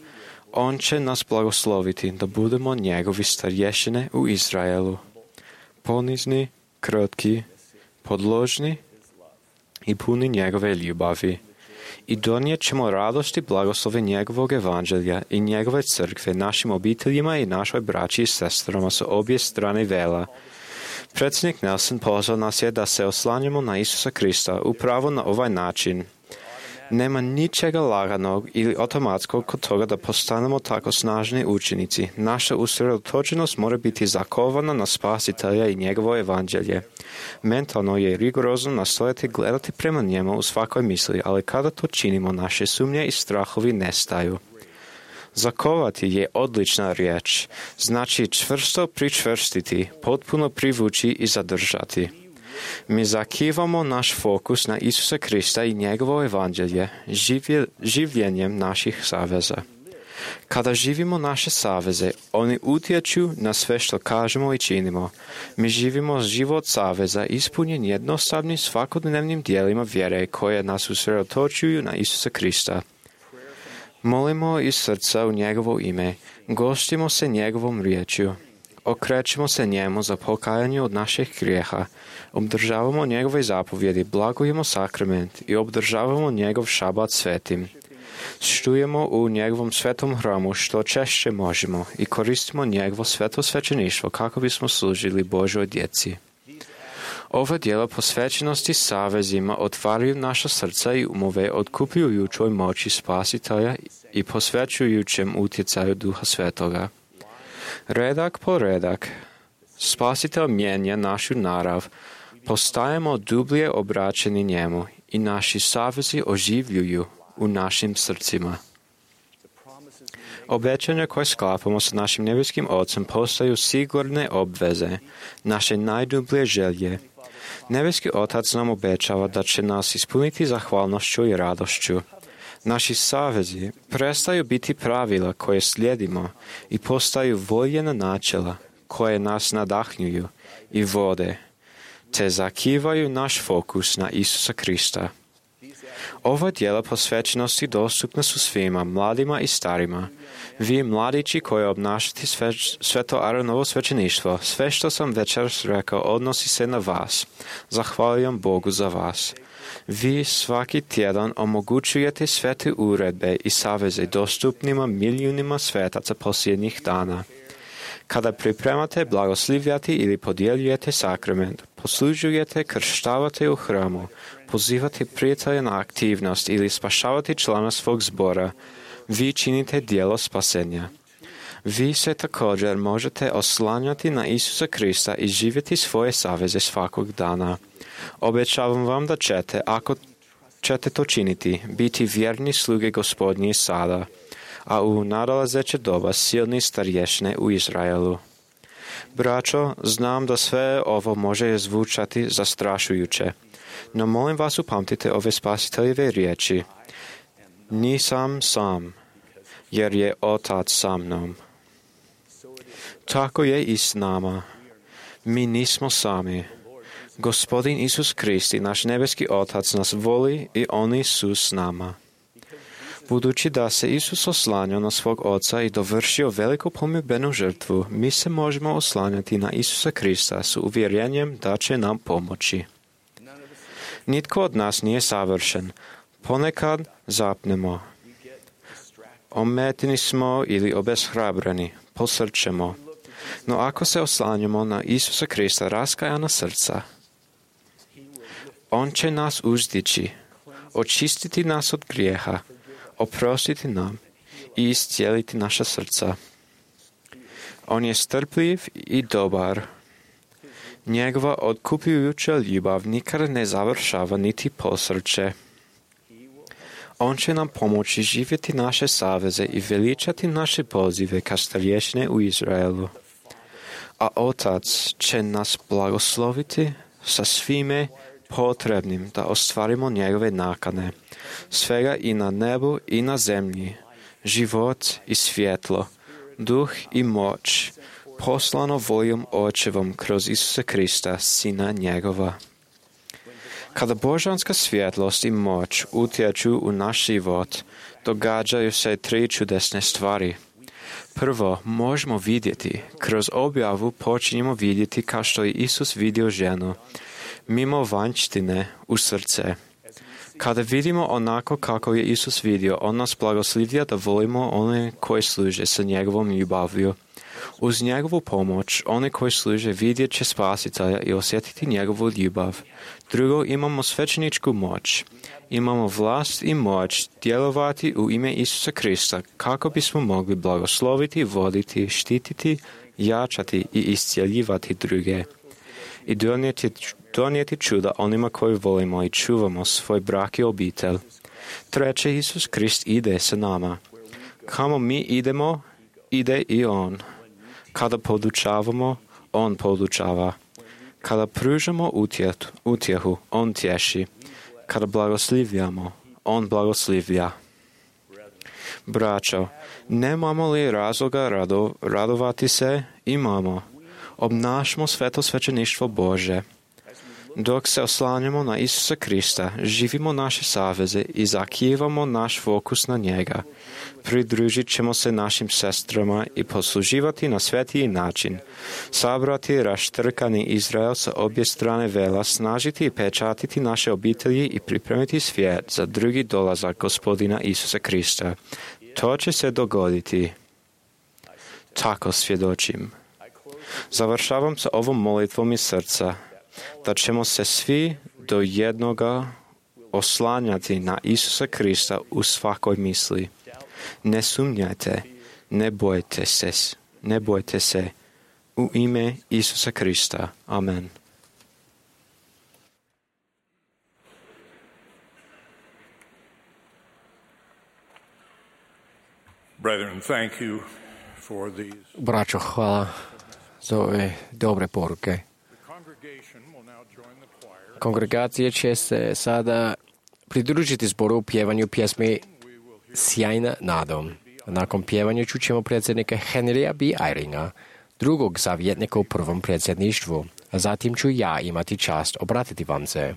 [SPEAKER 4] on će nas blagosloviti da budemo njegovi starješine u Izraelu. Ponizni, krotki, podložni i puni njegove ljubavi. I donijet ćemo radost i blagoslove njegovog evanđelja i njegove crkve našim obiteljima i našoj braći i sestrama sa obje strane vela. Predsjednik Nelson pozvao nas je da se oslanjamo na Isusa Krista upravo na ovaj način. Nema ničega laganog ili automatskog kod toga da postanemo tako snažni učenici. Naša usredotočenost mora biti zakovana na Spasitelja i njegovo evanđelje. Mentalno je rigorozno nastojati gledati prema njemu u svakoj misli, ali kada to činimo, naše sumnje i strahovi nestaju. Zakovati je odlična riječ, znači čvrsto pričvrstiti, potpuno privući i zadržati. Mi zakivamo naš fokus na Isusa Krista i njegovo evanđelje življenjem naših saveza. Kada živimo naše saveze, oni utječu na sve što kažemo i činimo. Mi živimo život saveza ispunjen jednostavnim svakodnevnim dijelima vjere koje nas usredotočuju na Isusa Krista. Molimo iz srca u njegovo ime, gostimo se njegovom riječju. Okrećemo se njemu za pokajanje od naših grijeha, obdržavamo njegove zapovjedi, blagujemo sakrament i obdržavamo njegov šabat svetim. Štujemo u njegovom svetom hramu što češće možemo i koristimo njegovo sveto svećeništvo kako bismo služili Božoj djeci. Ova djela posvećenosti savezima otvaraju naša srca i umove otkupljujućoj moći Spasitelja i posvećujućem utjecaju Duha Svetoga. Redak po redak, Spasitelj mijenja našu narav, postajemo dublje obraćeni njemu i naši savezi oživljuju u našim srcima. Obećanja koje sklapamo sa našim nebeskim Ocem postaju sigurne obveze, naše najdublje želje. Nebeski Otac nam obećava da će nas ispuniti zahvalnošću i radošću. Naši savezi prestaju biti pravila koje slijedimo i postaju voljena načela koje nas nadahnjuju i vode, te zakivaju naš fokus na Isusa Krista. Ova djela posvećenosti dostupna su svima, mladima i starima. Vi mladići koji obnašate sveto Aaronovo svećeništvo, sve što sam večeras rekao odnosi se na vas. Zahvaljujem Bogu za vas. Vi svaki tjedan omogućujete svete uredbe i saveze dostupnima milijunima svetaca posljednjih dana. Kada pripremate, blagoslivljate ili podjeljujete sakrament, poslužujete, krštavate u hramu, pozivate prijatelja na aktivnost ili spašavate člana svog zbora, vi činite djelo spasenja. Vi se također možete oslanjati na Isusa Krista i živjeti svoje saveze svakog dana. Obećavam vam da ćete, ako ćete to činiti, biti vjerni sluge Gospodnji sada, a u nadolazeće doba silni starješine u Izraelu. Braćo, znam da sve ovo može zvučati zastrašujuće, no molim vas upamtite ove Spasiteljeve riječi. Nisam sam, jer je Otac sa mnom. Tako je i s nama. Mi nismo sami. Gospodin Isus Krist i naš nebeski Otac nas voli i oni su s nama. Budući da se Isus oslanjao na svog Oca i dovršio veliku pomirbenu žrtvu, mi se možemo oslanjati na Isusa Krista s uvjerenjem da će nam pomoći. Nitko od nas nije savršen. Ponekad zapnemo. Ometeni smo ili obeshrabreni, posrćemo. No ako se oslanjamo na Isusa Krista raskajana srca, On će nas uzdići, očistiti nas od grijeha, oprostiti nam i iscijeliti naša srca. On je strpljiv i dobar. Njegova otkupljujuća ljubav nikada ne završava niti posrće. On će nam pomoći živjeti naše saveze i veličati naše pozive ka starješine u Izraelu. A Otac će nas blagosloviti sa svime potrebnim da ostvarimo njegove nakane, svega i na nebu i na zemlji, život i svjetlo, duh i moć, poslano voljom Očevom kroz Isusa Krista, Sina njegova. Kada božanska svjetlost i moć utječu u naš život, događaju se 3 čudesne stvari. Prvo, možemo vidjeti. Kroz objavu počinjemo vidjeti kao što je Isus vidio ženu, mimo vanjštine u srce. Kada vidimo onako kako je Isus vidio, on nas blagoslivlja da volimo one koji služe sa njegovom ljubavlju. Uz njegovu pomoć, oni koji služe vidjet će Spasitelja i osjetiti njegovu ljubav. Drugo, imamo svećeničku moć. Imamo vlast i moć djelovati u ime Isusa Krista kako bismo mogli blagosloviti, voditi, štititi, jačati i iscjeljivati druge. I donijeti čuda onima koji volimo i čuvamo svoj brak i obitelj. Treće, Isus Krist ide sa nama. Kamo mi idemo, ide i On. Kada podučavamo, On podučava. Kada pružamo utjehu, On tješi. Kada blagoslivljamo, On blagoslivlja. Braćo, nemamo li razloga radovati se? Imamo. Obnašmo sveto svećeništvo Bože. Dok se oslanjamo na Isusa Krista, živimo naše saveze i zakivamo naš fokus na njega. Pridružit ćemo se našim sestrama i posluživati na svetiji način. Sabrati raštrkani Izrael sa obje strane vela, snažiti i pečatiti naše obitelji i pripremiti svijet za drugi dolazak Gospodina Isusa Krista. To će se dogoditi. Tako svjedočim. Završavam sa ovom molitvom iz srca, da ćemo se svi do jednoga oslanjati na Isusa Krista u svakoj misli. Ne sumnjajte, ne bojte se. U ime Isusa Krista. Amen.
[SPEAKER 3] Brethren, thank you for these.
[SPEAKER 2] Braćo, hvala za ove dobre poruke. Kongregacija će se sada pridružiti zboru u pjevanju pjesme Sjajna nadom. Nakon pjevanja čućemo predsjednika Henrya B. Eyringa, drugog savjetnika u prvom predsjedništvu, a zatim ću ja imati čast obratiti vam se.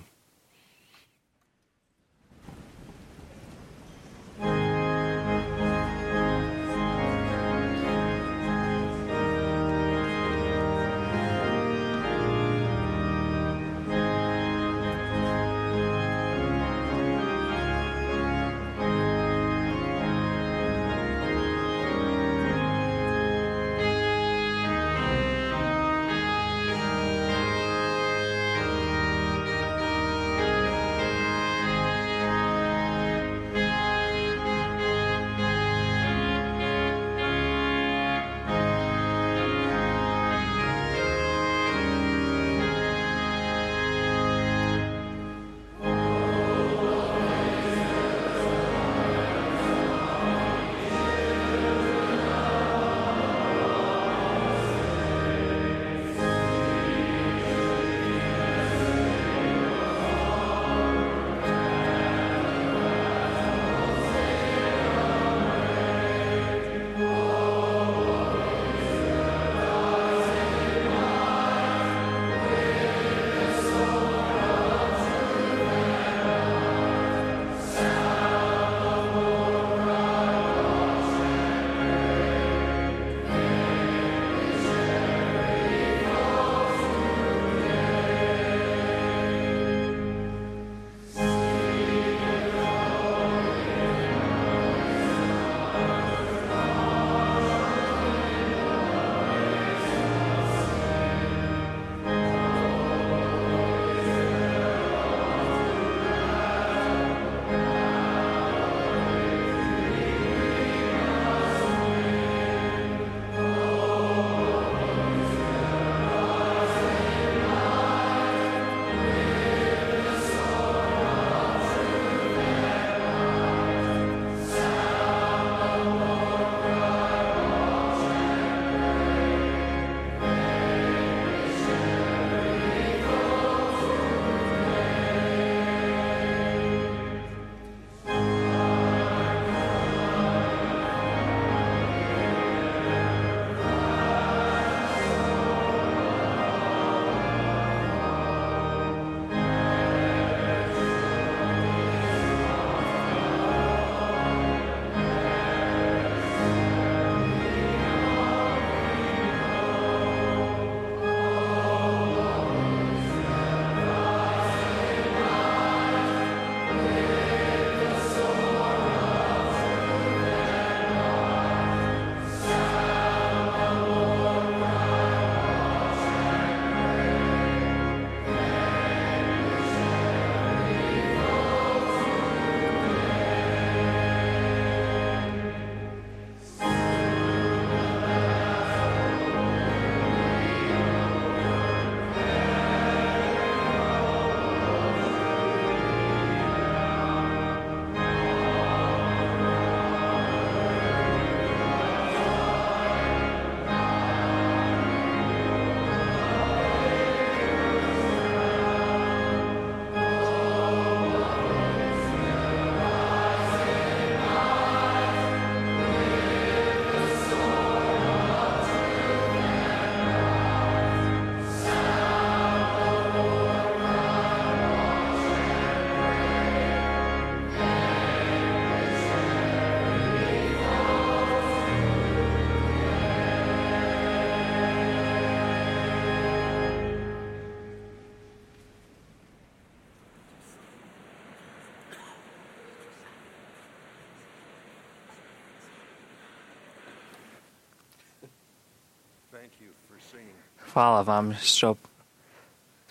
[SPEAKER 5] Hvala vam što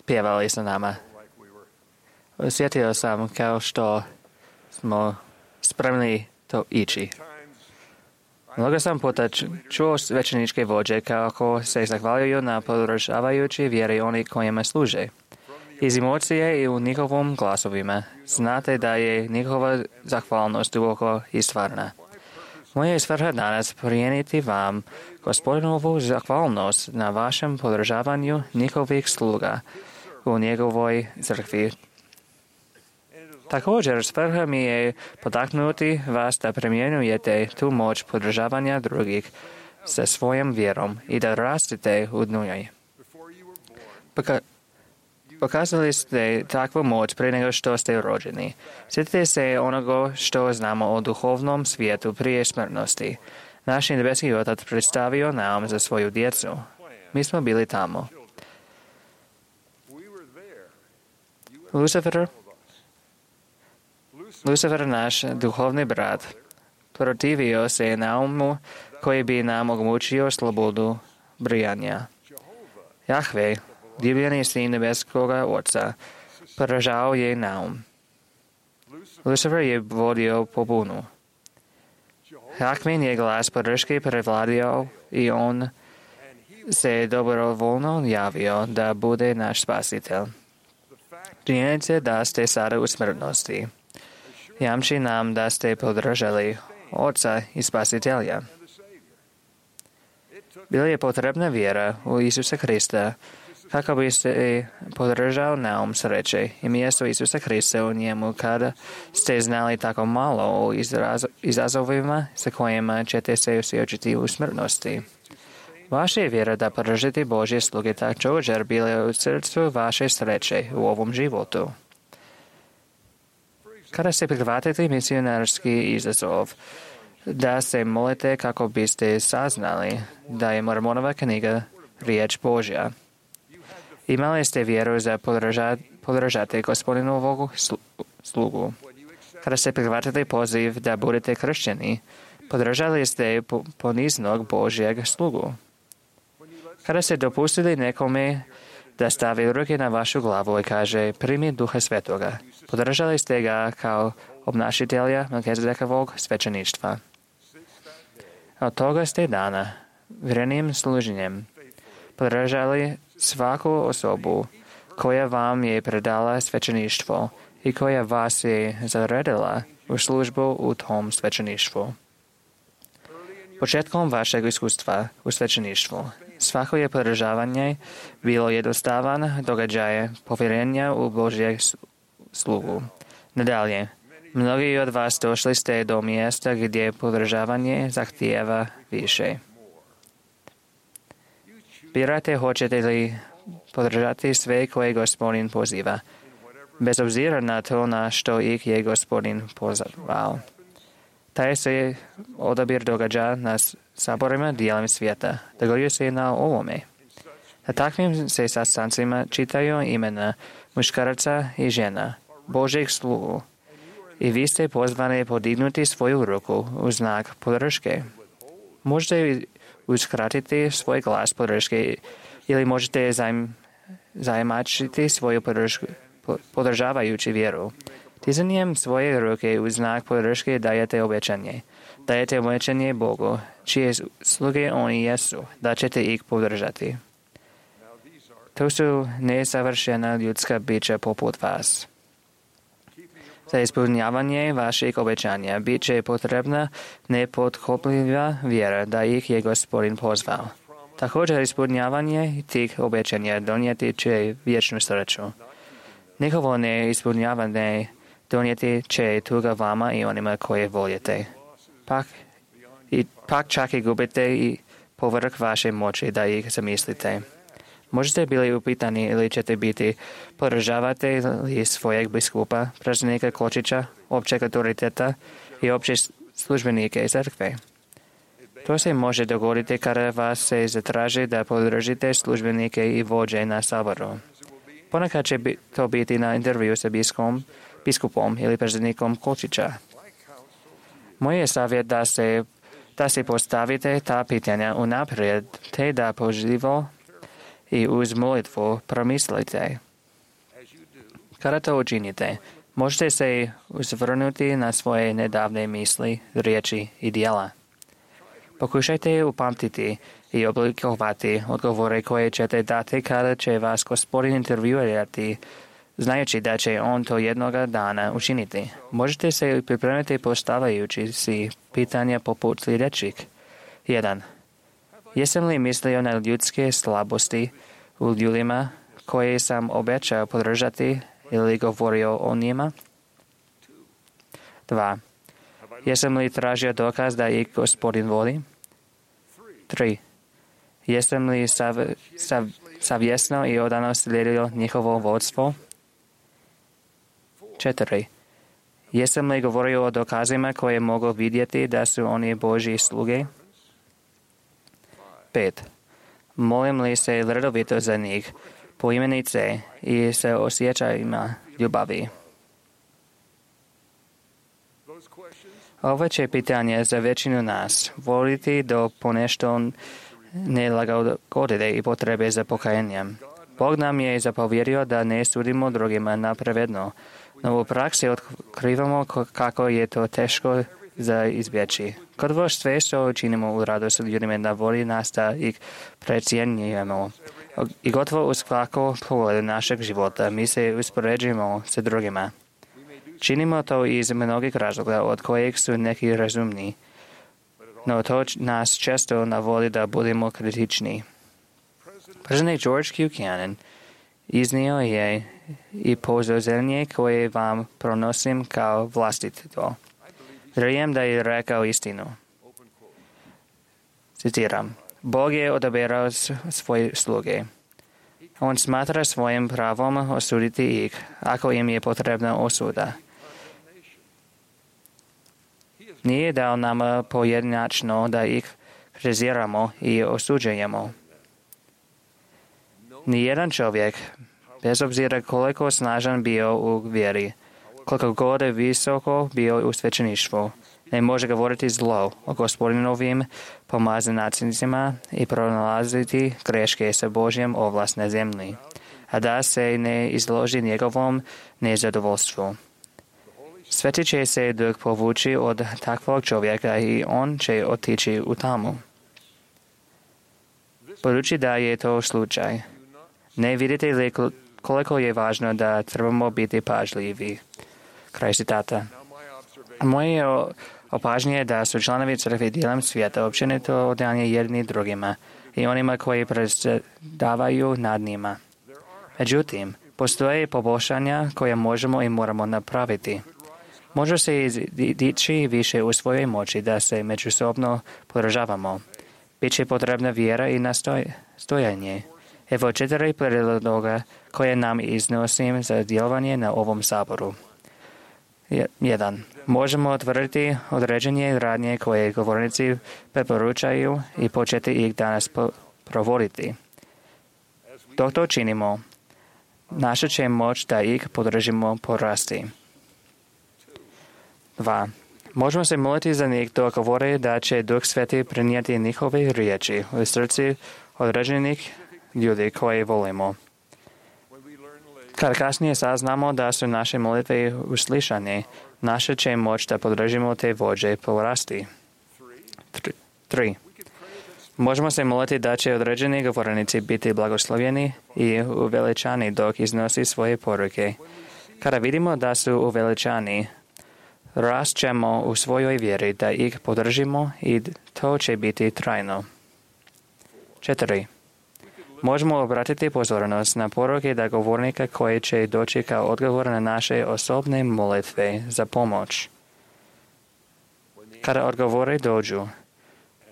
[SPEAKER 5] pjevali sa nama. Osjetio sam kao što smo spremni to ići. Mnogo sam puta čuo svećeničke vođe kako se zahvaljuju na podržavajući vjeri oni kojima služe. Iz emocije i u njihovom glasovima znate da je njihova zahvalnost duboko i stvarna. Moja je svrha danas prenijeti vam Gospodinovu zahvalnost na vašem podržavanju njihovih sluga u njegovoj crkvi. Također, svrha mi je potaknuti vas da primjenjujete tu moć podržavanja drugih sa svojom vjerom i da rastete u njoj. Pokazali ste takvu moć prije nego što ste rođeni. Sjetite se onoga što znamo o duhovnom svijetu prije smrtnosti. Naš nebeski Otac predstavio nam za svoju djecu. Mi smo bili tamo. Lucifer, naš duhovni brat, protivio se naumu koji bi nam omogućio slobodu brijanja. Jahve, divljeni sin nebeskoga Oca, poražao je naum. Lucifer je vodio pobunu. Jahven je glas podrške prevladio i on se dobrovoljno javio da bude naš spasitelj. Činjenica da ste sada u smrtnosti jamči nam da ste podržali Oca i Spasitelja. Bila je potrebna vjera u Isusa Krista kako bi se podržao naum sreće i mjesto Isusa Krista u njemu kada ste znali tako malo o izazovima sa kojima ćete se suočiti u smrtnosti. Vaša je vjera da podržite Božje sluge također bile u srcu vaše sreće u ovom životu. Kada se prihvatite misionarski izazov, da se molite kako biste saznali da je Mormonova knjiga riječ Božja. Imali ste vjeru za podržati Gospodinovog slugu. Kada se prihvatite poziv da budete kršćani, podržali ste poniznog Božjeg slugu. Kada ste dopustili nekome da stavi ruke na vašu glavu i kaže primi Duha Svetoga, podržali ste ga kao obnašitelja Melkizedekovog svećeništva. Od toga ste dana vjernim služenjem podržali svaku osobu koja vam je predala svećeništvo i koja vas je zaredila u službu u tom svećeništvu. Početkom vašeg iskustva u svećeništvu svako je podržavanje bilo jednostavan događaj povjerenja u Božjeg slugu. Nadalje, mnogi od vas došli ste do mjesta gdje podržavanje zahtijeva više. Birate hoćete li podržati sve koje Gospodin poziva, bez obzira na to na što ih je Gospodin pozvao. Taj se odabir događa na saborima dijelom svijeta. Dogodio se na ovome. Na takvim se sastancima čitaju imena muškaraca i žena, Božjeg slugu. I vi ste pozvani podignuti svoju ruku u znak podrške. Možete uskratiti svoj glas podrške ili možete zajmačiti svoju podržavajući vjeru. Tizanjem svoje ruke u znak podrške dajete obećanje. Dajete obećanje Bogu, čije sluge oni jesu, da ćete ih podržati. To su nesavršena ljudska bića poput vas. Za ispunjavanje vaših obećanja bit će potrebna nepotkopljiva vjera da ih je Gospodin pozvao. Također ispunjavanje tih obećanja donijeti će vječnu sreću. Njihovo neispunjavanje donijeti će tuga vama i onima koje voljete. Pak čak i gubite i povrh vaše moći da ih zamislite. Možete bili upitani ili ćete biti podržavate li svojeg biskupa, predsjednika Kočića, općeg autoriteta i opće službenike crkve. To se može dogoditi kada vas se zatraži da podržite službenike i vođe na saboru. Ponekad će to biti na intervju sa biskupom ili predsjednikom Kočića. Moj je savjet da si postavite ta pitanja unaprijed, te da pažljivo i uz molitvu promislite. Kada to učinite, možete se uzvrnuti na svoje nedavne misli, riječi i djela. Pokušajte upamtiti i oblikovati odgovore koje ćete dati kada će vas Gospodin intervjuirati, znajući da će on to jednoga dana učiniti. Možete se pripremiti postavljajući si pitanja poput sljedećih. 1. Jesam li mislio na ljudske slabosti u ljudima koje sam obećao podržati ili govorio o njima? 2. Jesam li tražio dokaz da ih Gospodin voli? 3. Jesam li savjesno i odano slijedio njihovo vodstvo? 4. Jesam li govorio o dokazima koje mogu vidjeti da su oni Božji sluge? 5. Molim li se redovito za njih, poimenice i sa osjećajima ljubavi? Ovo će pitanje za većinu nas voliti do ponešto nelagodite i potrebe za pokajanjem. Bog nam je zapovjerio da ne sudimo drugima napravedno, no u praksi otkrivamo kako je to teško za izbjeći. Kod sve što činimo u radu s ljudima navodi nas da ih precijenjujemo. I gotovo u svakom pogledu našeg života mi se uspoređujemo sa drugima. Činimo to iz mnogih razloga od kojeg su neki razumni, no to nas često navodi da budemo kritični. Predsjednik George Buchanan iznio je i pozorenje koje vam pronosim kao vlastito. Vjerujem da je rekao istinu. Citiram. Bog je odaberao svoje sluge. On smatra svojim pravom osuditi ih, ako im je potrebna osuda. Nije dao nama pojedinačno da ih kritiziramo i osuđujemo. Nijedan čovjek, bez obzira koliko snažan bio u vjeri, koliko god visoko bio u svećeništvu, ne može govoriti zlo o Gospodinovim pomazanicima i pronalaziti greške sa Božjem ovlast na zemlji, a da se ne izloži njegovom nezadovoljstvu. Sveti će se Duh povući od takvog čovjeka i on će otići u tamu. Budući da je to slučaj, ne vidite li koliko je važno da trebamo biti pažljivi? Kraj citata. Moje opažnje je da su članovi crkve diljem svijeta općenito odanje jedni drugima i onima koji predsjedavaju nad njima. Međutim, postoje poboljšanja koje možemo i moramo napraviti. Može se dići više u svojoj moći da se međusobno podržavamo. Biće potrebna vjera i nastojanje. Evo 4 prijedloga koje nam iznosim za djelovanje na ovom saboru. 1. Možemo otvoriti određenje radnje koje govornici preporučaju i početi ih danas provoditi. Dok to činimo, naša će moć da ih podržimo porasti. 2. Možemo se moliti za njih dok govore da će Duh Sveti prenijeti njihove riječi u srci određenih ljudi koje volimo. Kad kasnije saznamo da su naše molitve uslišane, naša će moć da podržimo te vođe porasti. 3. Možemo se moliti da će određeni govornici biti blagoslovljeni i uveličani dok iznosi svoje poruke. Kada vidimo da su uveličani, rastćemo u svojoj vjeri da ih podržimo i to će biti trajno. 4. Možemo obratiti pozornost na poruke da govornika koji će doći kao odgovor na naše osobne molitve za pomoć. Kada odgovore dođu,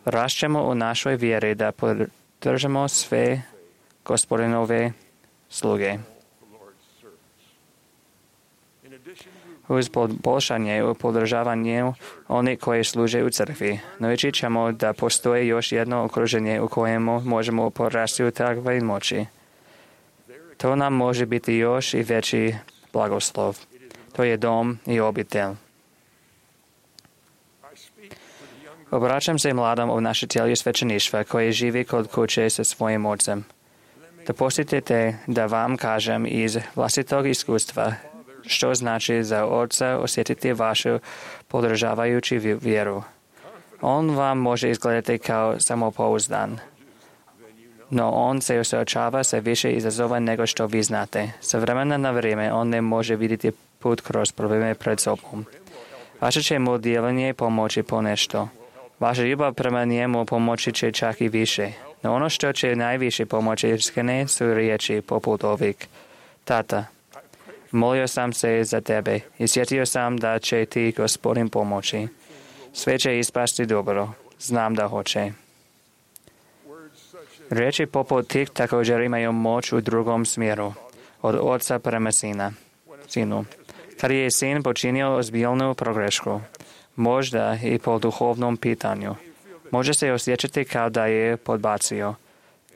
[SPEAKER 5] rastćemo u našoj vjeri da podržimo sve Gospodinove sluge. Uz poboljšanje u podržavanju onih koji služe u crkvi, naučit ćemo da postoji još jedno okruženje u kojemu možemo porasti u takvoj moći. To nam može biti još i veći blagoslov. To je dom i obitelj. Obraćam se mladom obnašatelju svećeništva koji živi kod kuće sa svojim ocem. Dopustite da vam kažem iz vlastitog iskustva što znači za oca osjetiti vašu podržavajuću vjeru. On vam može izgledati kao samopouzdan, no on se suočava sa više izazova nego što vi znate. Sa vremena na vrijeme on ne može vidjeti put kroz probleme pred sobom. Vaše će mu djelovanje pomoći ponešto. Vaša ljubav prema njemu pomoći će čak i više. No ono što će najviše pomoći iskrene su riječi poput ovih. Tata, molio sam se za tebe i sjetio sam da će ti Gospodin pomoći. Sve će ispasti dobro. Znam da hoće. Riječi poput tih također imaju moć u drugom smjeru, od oca prema sinu. Kad je sin počinio ozbiljnu pogrešku, možda i po duhovnom pitanju, može se osjećati kao da je podbacio.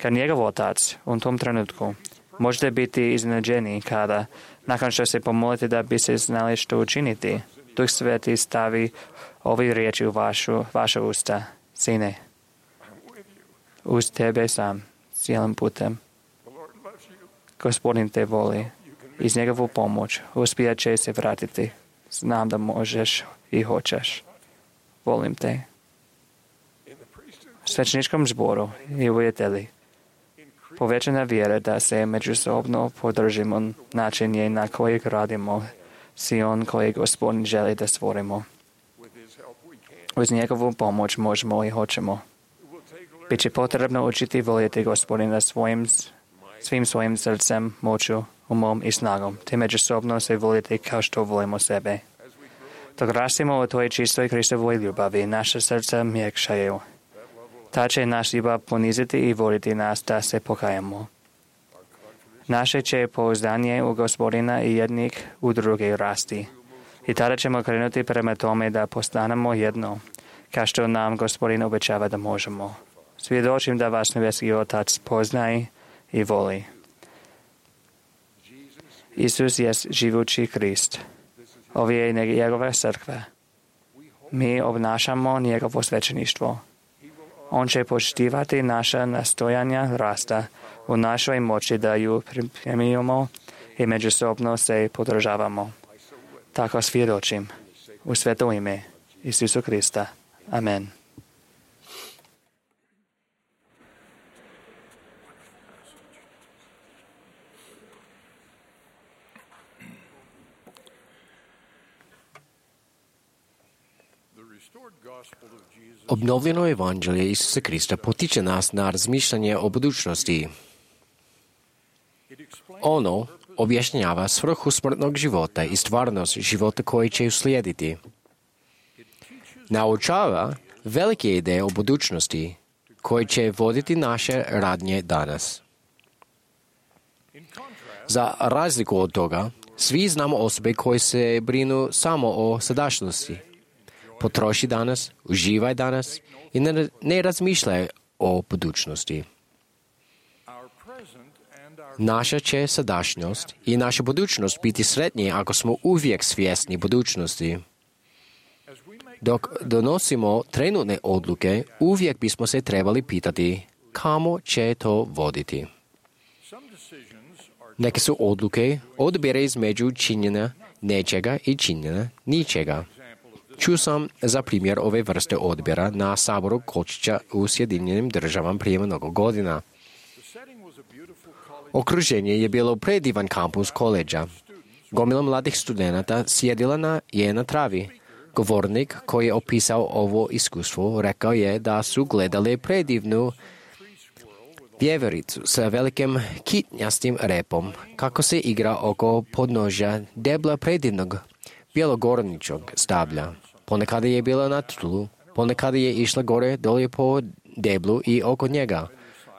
[SPEAKER 5] Kad njegov otac u tom trenutku možete biti iznenađeni kada, nakon što se pomolite da bi se znali što učiniti, Duh Sveti stavi ovi riječi u vaše usta. Sine, uz tebe sam, cijelim putem. Gospodin te voli. Iz njegovu pomoć uspijat će se vratiti. Znam da možeš i hoćeš. Volim te. U svećeničkom zboru i uvjeteli povećana vjera da se međusobno podržimo način je na kojeg radimo si on kojeg Gospodin želi da stvorimo. Uz njegovu pomoć možemo i hoćemo. Biće potrebno učiti voljeti Gospodina svim svojim srcem, moću, umom i snagom, te međusobno se voljeti kao što volimo sebe. Dok rastimo u toj čistoj Kristovoj ljubavi, naše srca mjekšaju. Ta će naš ljubav poniziti i voliti nas da se pokajamo. Naše će pouzdanje u Gospodina i jednih u druge rasti. I tada ćemo krenuti prema tome da postanemo jedno, kao što nam Gospodin obećava da možemo. Svjedočim da vas nebeski Otac poznaje i voli. Isus je živući Krist. Ovo je njegova crkva. Mi obnašamo njegovo svećeništvo. On će poštivati naša nastojanja rasta u našoj moći da ju pripremimo i međusobno se podržavamo. Tako svjedočim u sveto ime Isusu Krista. Amen.
[SPEAKER 2] Obnovljeno evanđelje Isusa Krista potiče nas na razmišljanje o budućnosti. Ono objašnjava svrhu smrtnog života i stvarnost života koji će uslijediti. Naučava velike ideje o budućnosti koje će voditi naše radnje danas. Za razliku od toga, svi znamo osobe koje se brinu samo o sadašnjosti. Potroši danas, uživaj danas i ne razmišljaj o budućnosti. Naša će sadašnjost i naša budućnost biti sretnije ako smo uvijek svjesni budućnosti. Dok donosimo trenutne odluke, uvijek bismo se trebali pitati kamo će to voditi. Neke su odluke odabire između činjenja nečega i činjenja ničega. Čuo sam za primjer ove vrste odbira na saboru Kočića u Sjedinjenim Državama prije mnogo godina. Okruženje je bilo predivan kampus koleđa. Gomila mladih studenata sjedila je na travi. Govornik koji je opisao ovo iskustvo rekao je da su gledali predivnu vjevericu sa velikim kitnjastim repom kako se igra oko podnožja debla predivnog bjelogorničog stablja. Ponekad je bila na tlu, ponekad je išla gore dolje po deblu i oko njega.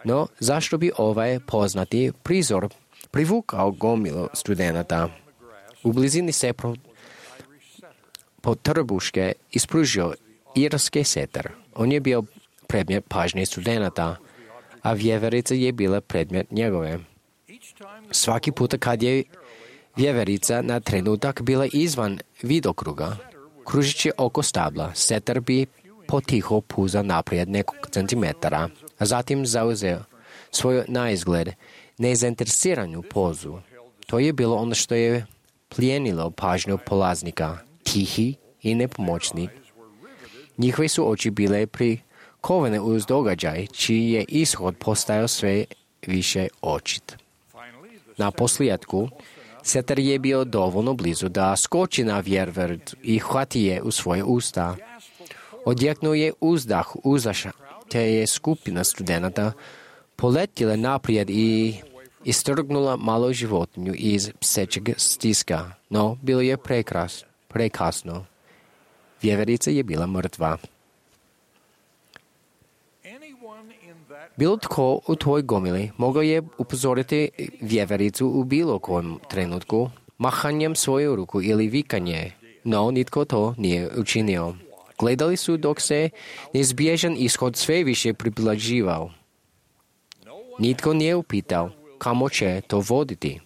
[SPEAKER 2] No, zašto bi ovaj poznati prizor privukao gomilu studenata? U blizini se po trbuške ispružio irski setar. On je bio predmet pažnje studenata, a vjeverica je bila predmet njegove. Svaki puta kad je vjeverica na trenutak bila izvan vidokruga, kružići oko stabla, setar bi potiho puza naprijed nekog centimetara, a zatim zauzeo svoju naizgled nezainteresiranu pozu. To je bilo ono što je plijenilo pažnju polaznika, tihi i nepomoćni. Njihove su oči bile prikovane uz događaj, čiji je ishod postajao sve više očit. Na posljedku, Setar je bio dovoljno blizu da skoči na vjerverd i hvati je u svoje usta. Odjeknuo je uzdah uzaša, te je skupina studenata poletjela naprijed i istrgnula malu životinju iz psećeg stiska, no bilo je prekasno. Vjeverica je bila mrtva. Bilo tko u tvoj gomili mogao je upozoriti vjevericu u bilo kojem trenutku, mahanjem svoju ruku ili vikanje, no nitko to nije učinio. Gledali su dok se neizbježan ishod sve više približavao. Nitko nije upitao kamo će to voditi.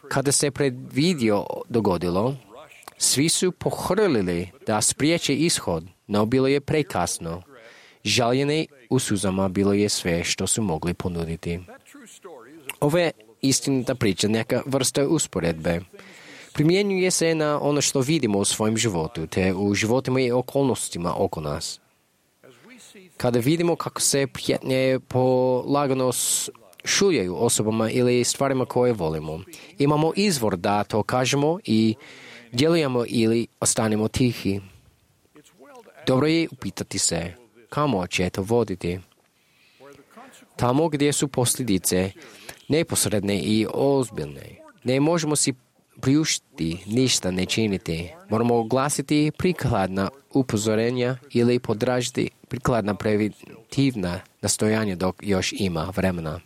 [SPEAKER 2] Kada se predvidio dogodilo, svi su pohrlili da spriječe ishod, no bilo je prekasno. Žaljene u suzama bilo je sve što su mogli ponuditi. Ova je istinita priča neka vrsta usporedbe. Primjenjuje se na ono što vidimo u svojem životu, te u životima i okolnostima oko nas. Kada vidimo kako se prijetnje polagano šuljaju osobama ili stvarima koje volimo, imamo izvor da to kažemo i djelujemo ili ostanemo tihi. Dobro je upitati se kamo će to voditi. Tamo gdje su posljedice neposredne i ozbiljne, ne možemo si priuštiti ništa ne činiti. Moramo oglasiti prikladna upozorenja ili podražiti prikladna preventivna nastojanja dok još ima vremena.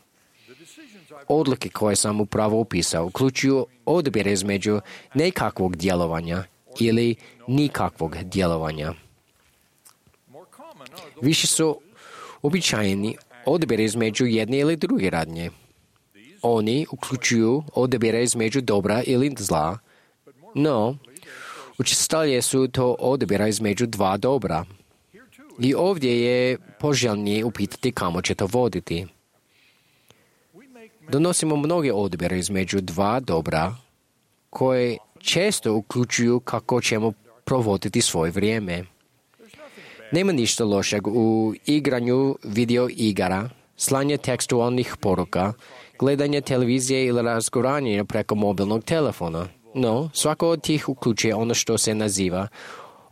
[SPEAKER 2] Odluke koje sam upravo opisao uključuju odabir između nekakvog djelovanja ili nikakvog djelovanja. Više su običajni odabir između jedne ili druge radnje. Oni uključuju odabire između dobra ili zla, no učestalije su to odabira između dva dobra. I ovdje je poželjnije upitati kamo će to voditi. Donosimo mnoge odabire između dva dobra koje često uključuju kako ćemo provoditi svoje vrijeme. Nema ništa lošeg u igranju video igara, slanje tekstualnih poruka, gledanje televizije ili razgovaranje preko mobilnog telefona. No, svako od tih uključuje ono što se naziva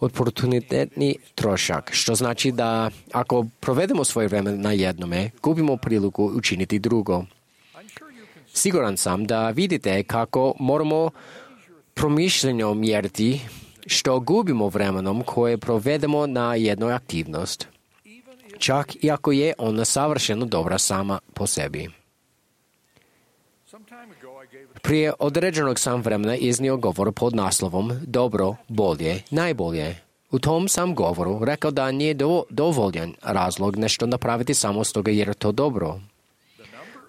[SPEAKER 2] oportunitetni trošak, što znači da ako provedemo svoje vrijeme na jednome, gubimo priliku učiniti drugo. Siguran sam da vidite kako moramo promišljenjem mjeriti što gubimo vremenom koje provedemo na jednoj aktivnost, čak i ako je ona savršeno dobra sama po sebi. Prije određenog sam vremena iznio govor pod naslovom Dobro, bolje, najbolje. U tom sam govoru rekao da nije dovoljan razlog nešto napraviti samo stoga jer je to dobro.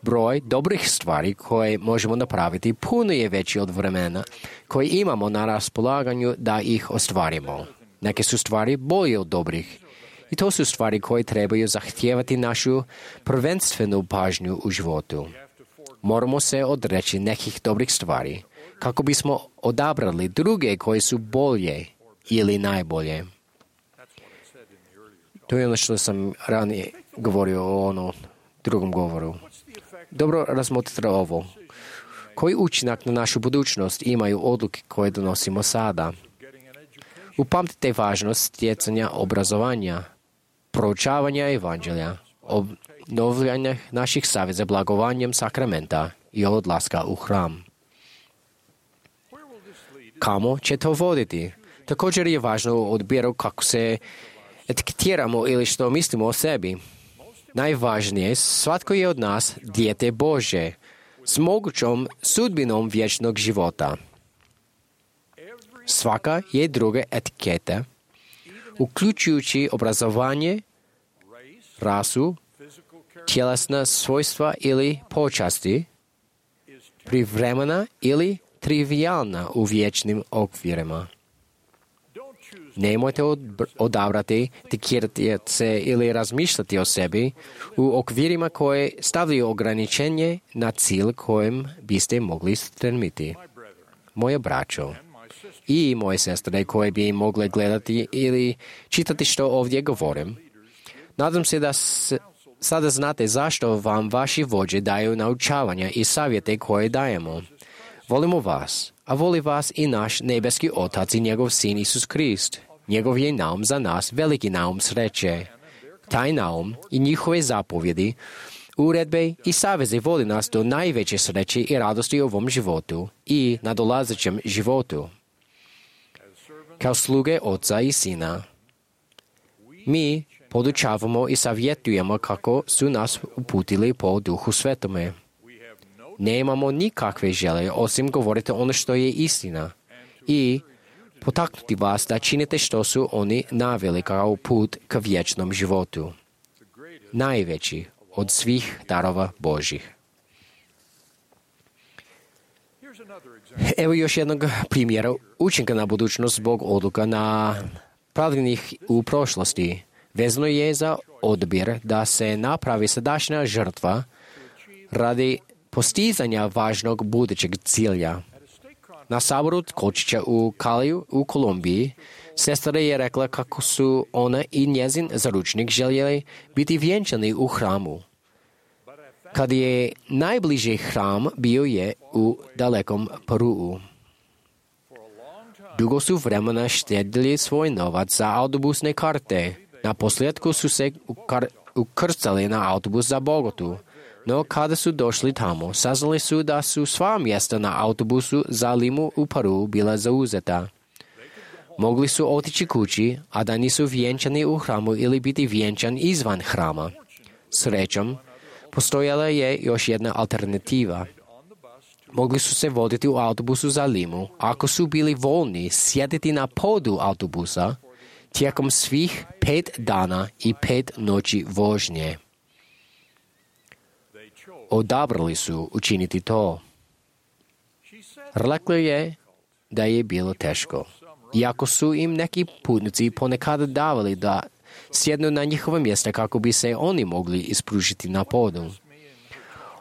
[SPEAKER 2] Broj dobrih stvari koje možemo napraviti puno je veći od vremena koje imamo na raspolaganju da ih ostvarimo. Neke su stvari bolje od dobrih. I to su stvari koje trebaju zahtijevati našu prvenstvenu pažnju u životu. Moramo se odreći nekih dobrih stvari kako bismo odabrali druge koje su bolje ili najbolje. To je ono što sam ranije govorio o drugom govoru. Dobro razmotrite ovo. Koji učinak na našu budućnost imaju odluke koje donosimo sada? Upamtite važnost stjecanja obrazovanja, proučavanja evanđelja, obnovljanja naših saveza blagovanjem sakramenta i odlaska u hram. Kamo će to voditi? Također je važno u odbiru kako se etiketiramo ili što mislimo o sebi. Najvažnije, svatko je od nas dijete Bože s mogućom sudbinom vječnog života. Svaka je druga etiketa, uključujući obrazovanje, rasu, tjelesna svojstva ili počasti, privremena ili trivialna u vječnim okvirima. Nemojte odabrati, tikirati se ili razmišljati o sebi u okvirima koje stavljaju ograničenje na cilj kojem biste mogli stremiti. Moje braćo i moje sestre koje bi mogle gledati ili čitati što ovdje govorim, nadam se da sada znate zašto vam vaši vođe daju naučavanja i savjete koje dajemo. Volimo vas, a voli vas i naš nebeski Otac i njegov Sin Isus Krist. Njegov je naum za nas veliki naum sreće. Taj naum i njihove zapovjedi, uredbe i saveze vodi nas do najveće sreće i radosti u ovom životu i nadolazećem životu. Kao sluge Oca i Sina, mi podučavamo i savjetujemo kako su nas uputili po Duhu Svetome. Nemamo nikakve želje osim govoriti ono što je istina i potaknuti vas da činite što su oni naveli kao put ka vječnom životu. Najveći od svih darova Božih. Evo još jednog primjera učinka na budućnost zbog odluka na pravljenih u prošlosti. Vezano je za odbir da se napravi sadašnja žrtva radi postizanja važnog budućeg cilja. Na saboru Kočića u Kaliju u Kolumbiji sestra je rekla kako su ona i njezin zaručnik željeli biti vjenčani u hramu. Kad je najbliži hram bio je u dalekom Peruu. Dugo su vremena štedili svoj novac za autobusne karte. Na posljedku su se ukrcali na autobus za Bogotu. No kada su došli tamo, saznali su da su sva mjesta na autobusu za Limu u Peru bila zauzeta. Mogli su otići kući, a da nisu vjenčani u hramu ili biti vjenčan izvan hrama. Srećom, postojala je još jedna alternativa. Mogli su se voditi u autobusu za Limu, ako su bili voljni sjediti na podu autobusa tijekom svih 5 dana i 5 noći vožnje. Odabrali su učiniti to. Rekla je da je bilo teško. Iako su im neki putnici ponekad davali da sjednu na njihova mjesta kako bi se oni mogli ispružiti na podu.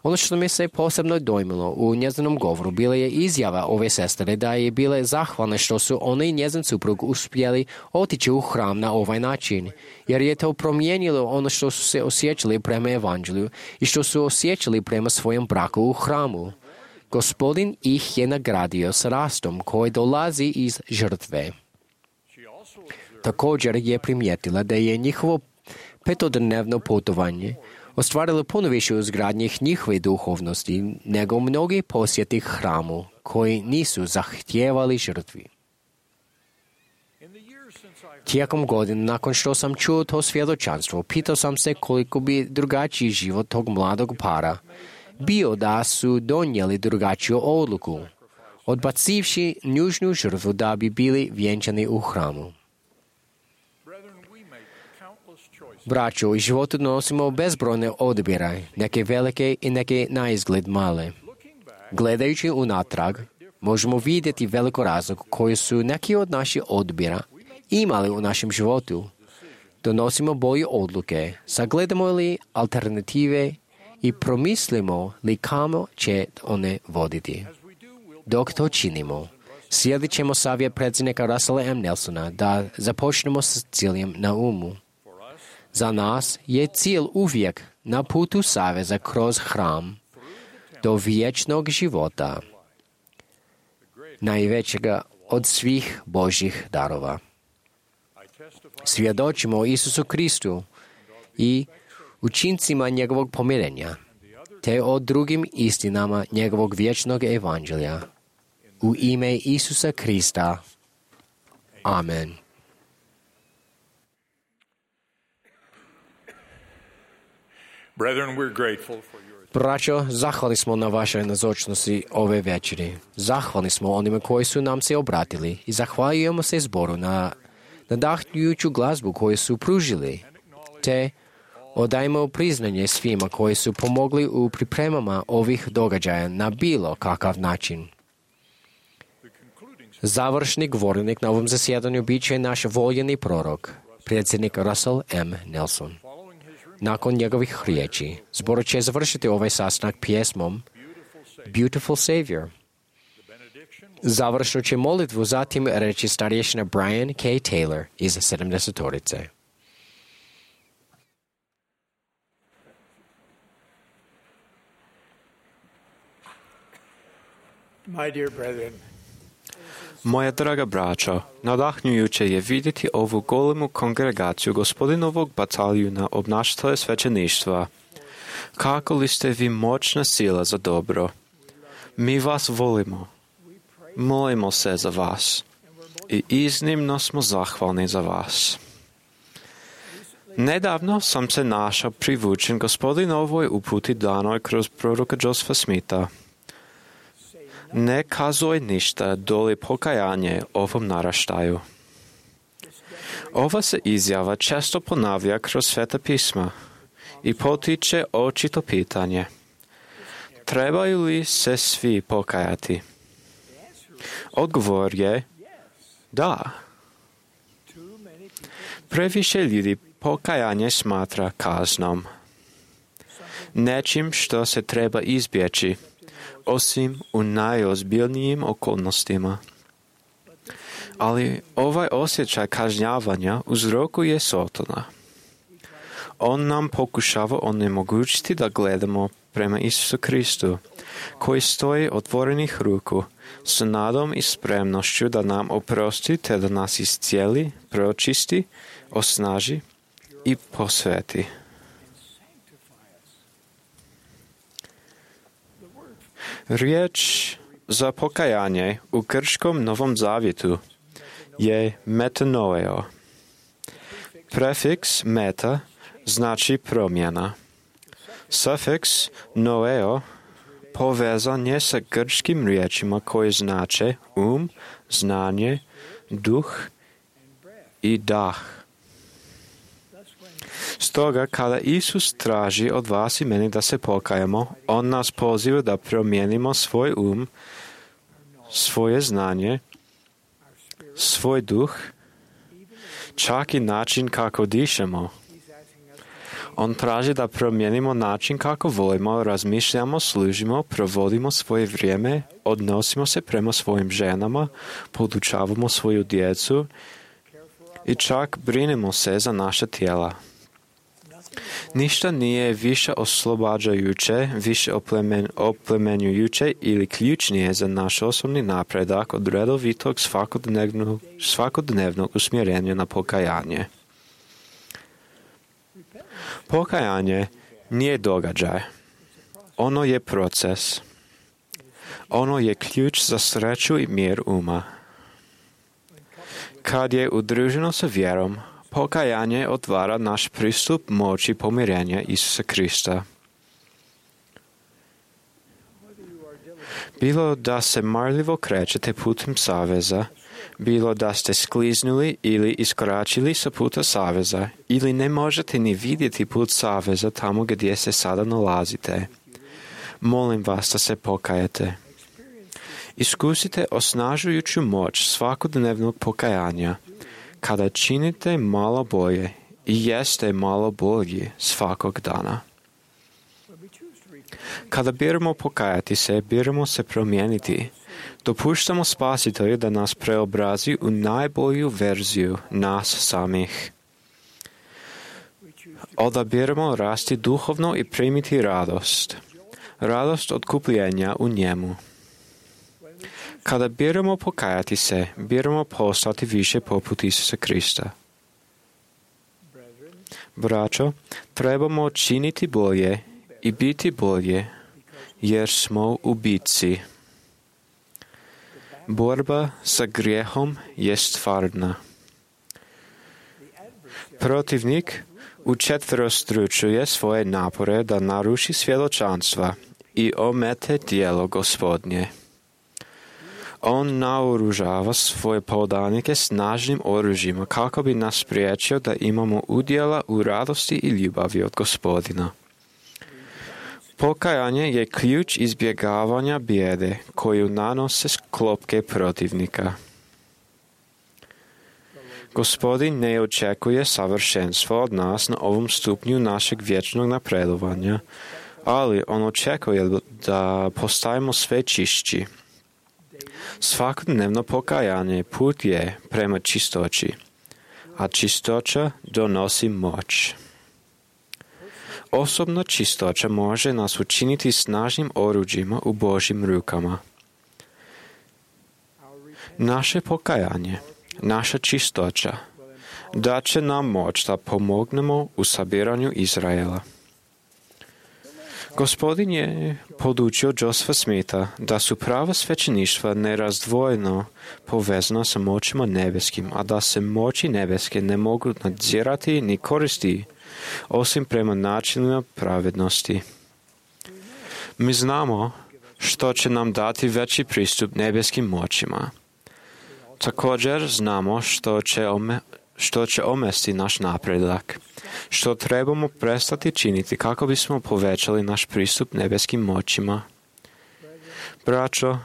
[SPEAKER 2] Ono što mi se posebno dojmilo u njezinom govoru bila je izjava ove sestre da je bile zahvalne što su ona i njezin suprug uspjeli otići u hram na ovaj način, jer je to promijenilo ono što su se osjećali prema evanđelju i što su osjećali prema svojem braku u hramu. Gospodin ih je nagradio s rastom koji dolazi iz žrtve. Također je primijetila da je njihovo 5-dnevno putovanje ostvarilo puno više uzgradnje njihove duhovnosti nego mnogi posjeti hramu koji nisu zahtijevali žrtvi. Tijekom godina nakon što sam čuo to svjedočanstvo, pitao sam se koliko bi drugačiji život tog mladog para bio da su donijeli drugačiju odluku, odbacivši nužnu žrtvu da bi bili vjenčani u hramu. Braćo, u životu nosimo bezbrojne odabire, neke velike i neke na izgled male. Gledajući unatrag, možemo vidjeti veliko razlog koji su neki od naših odabira imali u našem životu. Donosimo bolje odluke, sagledamo li alternative i promislimo li kamo će one voditi. Dok to činimo, slijedit ćemo savjet predsjednika Russella M. Nelsona da započnemo s ciljem na umu. Za nas je cilj uvijek na putu saveza kroz hram do vječnog života, najvećega od svih Božjih darova. Svjedočimo o Isusu Kristu i učincima njegovog pomirenja, te o drugim istinama njegovog vječnog evanđelja. U ime Isusa Krista. Amen.
[SPEAKER 3] Brethren, we're grateful for your
[SPEAKER 2] Braćo, zahvalni smo na vašoj nazočnosti ove večeri. Zahvalni smo onima koji su nam se obratili i zahvaljujemo se zboru na nadahnjujuću glazbu koju su pružili, te odajmo priznanje svima koji su pomogli u pripremama ovih događaja na bilo kakav način. Završni govornik na ovom zasjedanju bit će naš voljeni prorok, predsjednik Russell M. Nelson. Nakon njegovih riječi, zbor će završiti ovaj sastanak pjesmom Beautiful Savior. Završnu će molitvu zatim reći starješina Brian K. Taylor iz 70-torice.
[SPEAKER 7] My dear brethren,
[SPEAKER 4] Moja draga braćo, nadahnjujuće je vidjeti ovu golemu kongregaciju Gospodinovog bataljuna obnašatelja svećeništva. Kako li ste vi moćna sila za dobro? Mi vas volimo. Molimo se za vas i iznimno smo zahvalni za vas. Nedavno sam se našao privučen Gospodinovoj uputi danoj kroz proroka Josepha Smitha. Ne kazuj ništa doli pokajanje ovom naraštaju. Ova se izjava često ponavlja kroz Sveta pisma i potiče očito pitanje: trebaju li se svi pokajati? Odgovor je da. Previše ljudi pokajanje smatra kaznom, nečim što se treba izbjeći, osim u najozbiljnijim okolnostima. Ali ovaj osjećaj kažnjavanja uzrokuje Satana. On nam pokušava onemogućiti da gledamo prema Isusu Kristu, koji stoji otvorenih ruku, s nadom i spremnošću da nam oprosti te da nas iscijeli, pročisti, osnaži i posveti. Riječ za pokajanje u grčkom Novom Zavjetu je metanoeo. Prefiks meta znači promjena. Sufiks noeo povezan je sa grčkim riječima koje znače znanje, duh i dah. Stoga, kada Isus traži od vas i meni da se pokajemo, on nas poziva da promijenimo svoj svoje znanje, svoj duh, čak i način kako dišemo. On traži da promijenimo način kako volimo, razmišljamo, služimo, provodimo svoje vrijeme, odnosimo se prema svojim ženama, podučavamo svoju djecu i čak brinemo se za naša tijela. Ništa nije više oslobađajuće, više oplemenjujuće ili ključnije za naš osobni napredak od redovitog svakodnevnog usmjerenja na pokajanje. Pokajanje nije događaj. Ono je proces. Ono je ključ za sreću i mir uma. Kad je udruženo sa vjerom, pokajanje otvara naš pristup moći pomirenja Isusa Krista. Bilo da se marljivo krećete putem saveza, bilo da ste skliznuli ili iskoračili sa puta saveza, ili ne možete ni vidjeti put saveza tamo gdje se sada nalazite, molim vas da se pokajete. Iskusite osnažujuću moć svakodnevnog pokajanja, kada činite malo bolje i jeste malo bolji svakog dana. Kada biramo pokajati se, biramo se promijeniti. Dopuštamo Spasitelju da nas preobrazi u najbolju verziju nas samih. Odabiramo rasti duhovno i primiti radost. Radost otkupljenja u njemu. Kada biramo pokajati se, biramo postati više poput Isusa Krista. Braćo, trebamo činiti bolje i biti bolje, jer smo u bitci. Borba sa grijehom je stvarna. Protivnik učetverostručuje svoje napore da naruši svjedočanstva i omete djelo Gospodnje. On naoružava svoje podanike snažnim oružjima kako bi nas spriječio da imamo udjela u radosti i ljubavi od Gospodina. Pokajanje je ključ izbjegavanja bijede koju nanose klopke protivnika. Gospodin ne očekuje savršenstvo od nas na ovom stupnju našeg vječnog napredovanja, ali on očekuje da postajemo sve čišći. Svakodnevno pokajanje put je prema čistoći, a čistoća donosi moć. Osobna čistoća može nas učiniti snažnim oruđima u Božjim rukama. Naše pokajanje, naša čistoća, daće nam moć da pomognemo u sabiranju Izraela. Gospodin je podučio Josepha Smitha da su prava svećeništva nerazdvojeno povezana sa moćima nebeskim, a da se moći nebeske ne mogu nadzirati ni koristiti osim prema načinima pravednosti. Mi znamo što će nam dati veći pristup nebeskim moćima. Također znamo što će omesti naš napredak, što trebamo prestati činiti kako bismo povećali naš pristup nebeskim moćima. Braćo,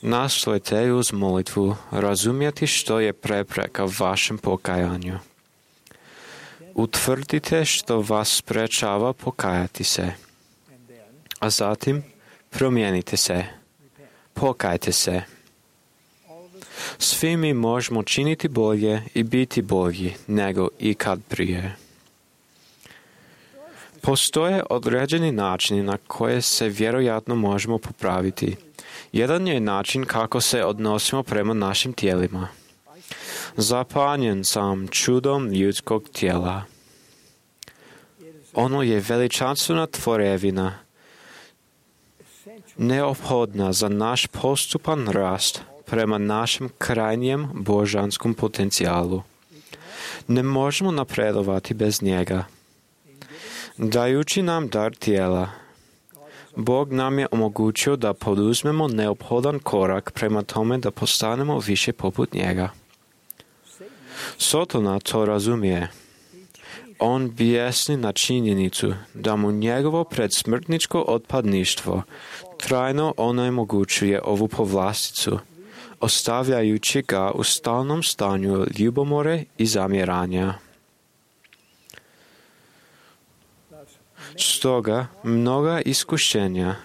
[SPEAKER 4] nastojte uz molitvu razumjeti što je prepreka vašem pokajanju. Utvrdite što vas sprečava pokajati se, a zatim promijenite se, pokajte se. Svi mi možemo činiti bolje i biti bolji nego ikad prije. Postoje određeni načini na koje se vjerojatno možemo popraviti. Jedan je način kako se odnosimo prema našim tijelima. Zapanjen sam čudom ljudskog tijela. Ono je veličanstvena tvorevina, neophodna za naš postupan rast prema našem krajnjem božanskom potencijalu. Ne možemo napredovati bez njega. Dajući nam dar tijela, Bog nam je omogućio da poduzmemo neophodan korak prema tome da postanemo više poput njega. Sotona to razumije. On bijesni na činjenicu da mu njegovo predsmrtničko otpadništvo trajno onemogućuje ovu povlasticu, ostavljajući ga u stalnom stanju ljubomore i zamjeranja. Stoga, mnoga iskušenja,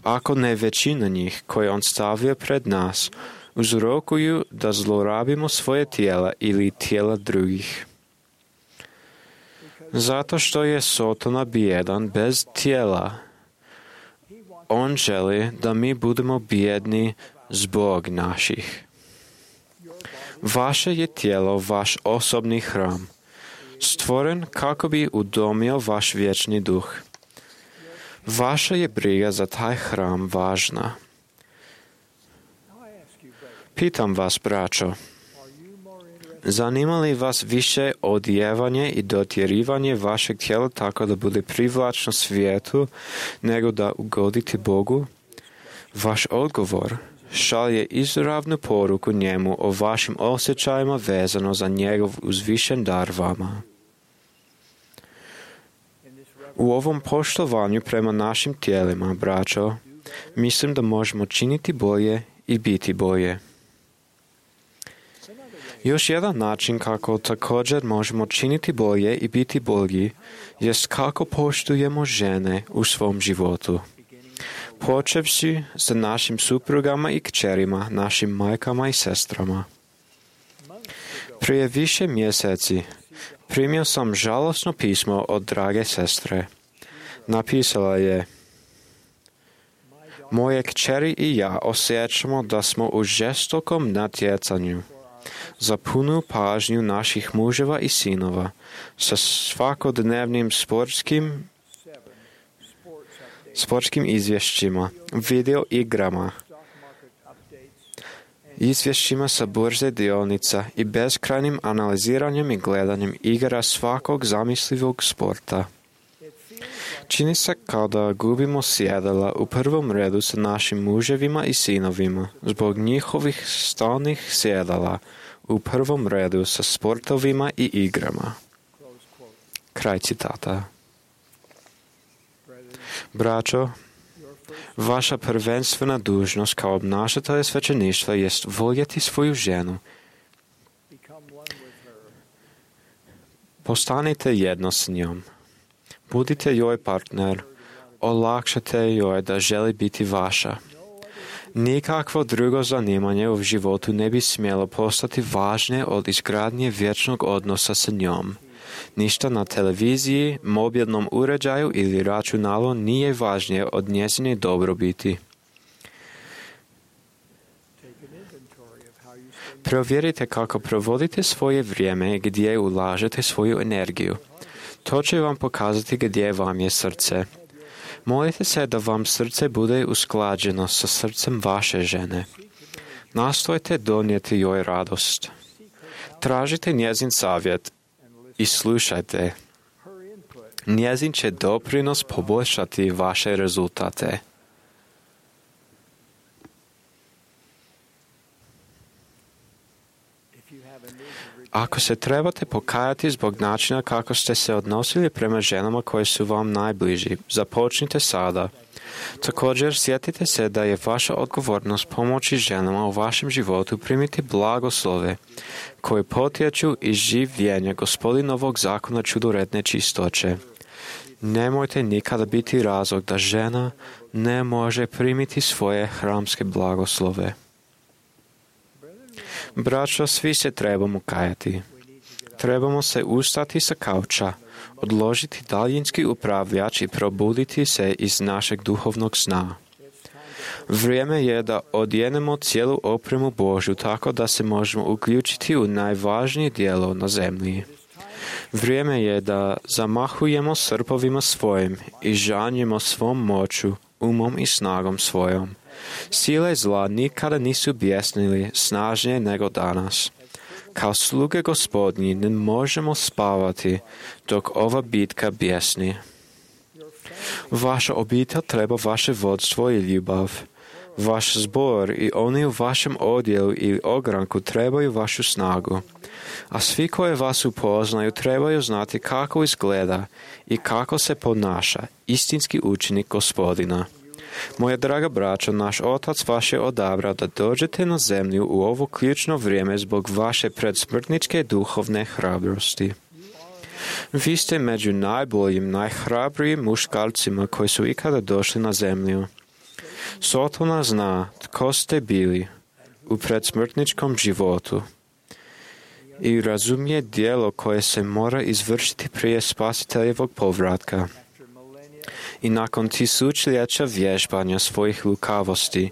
[SPEAKER 4] ako ne većina njih koje on stavlja pred nas, uzrokuju da zlorabimo svoje tijela ili tijela drugih. Zato što je Sotona bijedan bez tijela, on želi da mi budemo bijedni zbog naših. Vaše je tijelo vaš osobni hram, stvoren kako bi udomio vaš vječni duh. Vaša je briga za taj hram važna. Pitam vas, braćo, zanima li vas više odjevanje i dotjerivanje vašeg tijela tako da bude privlačno svijetu nego da ugodite Bogu? Vaš odgovor šalje izravnu poruku njemu o vašim osjećajima vezano za njegov uzvišen dar vama. U ovom poštovanju prema našim tijelima, braćo, mislim da možemo činiti bolje i biti bolje. Još jedan način kako također možemo činiti bolje i biti bolji jest kako poštujemo žene u svom životu. Počevši sa našim suprugama i kćerima, našim majkama i sestrama. Prije više mjeseci primio sam žalosno pismo od drage sestre. Napisala je: moje kćeri i ja osjećamo da smo u žestokom natjecanju za punu pažnju naših muževa i sinova sa svakodnevnim sportskim izvješćima, video igrama, izvješćima sa burze dionica i beskrajnim analiziranjem i gledanjem igara svakog zamislivog sporta. Čini se kao da gubimo sjedala u prvom redu sa našim muževima i sinovima zbog njihovih stalnih sjedala u prvom redu sa sportovima i igrama. Kraj citata. Braćo, vaša prvenstvena dužnost kao obnašatelja svećeništva jest voljeti svoju ženu, Postanite jedno s njom. Budite joj partner. Olakšate joj da želi biti vaša. Nikakvo drugo zanimanje u životu ne bi smjelo postati važnije od izgradnje vječnog odnosa sa njom. Ništa na televiziji, mobilnom uređaju ili računalu nije važnije od njezine dobrobiti. Provjerite kako provodite svoje vrijeme i gdje ulažete svoju energiju. To će vam pokazati gdje vam je srce. Molite se da vam srce bude usklađeno sa srcem vaše žene. Nastojte donijeti joj radost. Tražite njezin savjet i slušajte. Njezin će doprinos poboljšati vaše rezultate. Ako se trebate pokajati zbog načina kako ste se odnosili prema ženama koje su vam najbliži, započnite sada. Također, sjetite se da je vaša odgovornost pomoći ženama u vašem životu primiti blagoslove koje potječu iz življenja Gospodinovog zakona čudoredne čistoće. Nemojte nikada biti razlog da žena ne može primiti svoje hramske blagoslove. Braćo, svi se trebamo kajati. Trebamo se ustati sa kauča, odložiti daljinski upravljač i probuditi se iz našeg duhovnog sna. Vrijeme je da odjenemo cijelu opremu Božju tako da se možemo uključiti u najvažnije djelo na zemlji. Vrijeme je da zamahujemo srpovima svojim i žanjemo svom moću, umom i snagom svojom. Sile zla nikada nisu bjesnili snažnije nego danas. Kao sluge Gospodnji ne možemo spavati dok ova bitka bjesni. Vaša obitelj treba vaše vodstvo i ljubav. Vaš zbor i oni u vašem odjelu ili ogranku trebaju vašu snagu. A svi koji vas upoznaju trebaju znati kako izgleda i kako se ponaša istinski učenik Gospodina. Moja draga braćo, naš Otac vaš je odabrao da dođete na zemlju u ovo ključno vrijeme zbog vaše predsmrtničke duhovne hrabrosti. Vi ste među najboljim, najhrabrijim muškarcima koji su ikada došli na zemlju. Sotona zna tko ste bili u predsmrtničkom životu i razumije djelo koje se mora izvršiti prije Spasiteljevog povratka. I nakon tisućljeća vježbanja svojih lukavosti,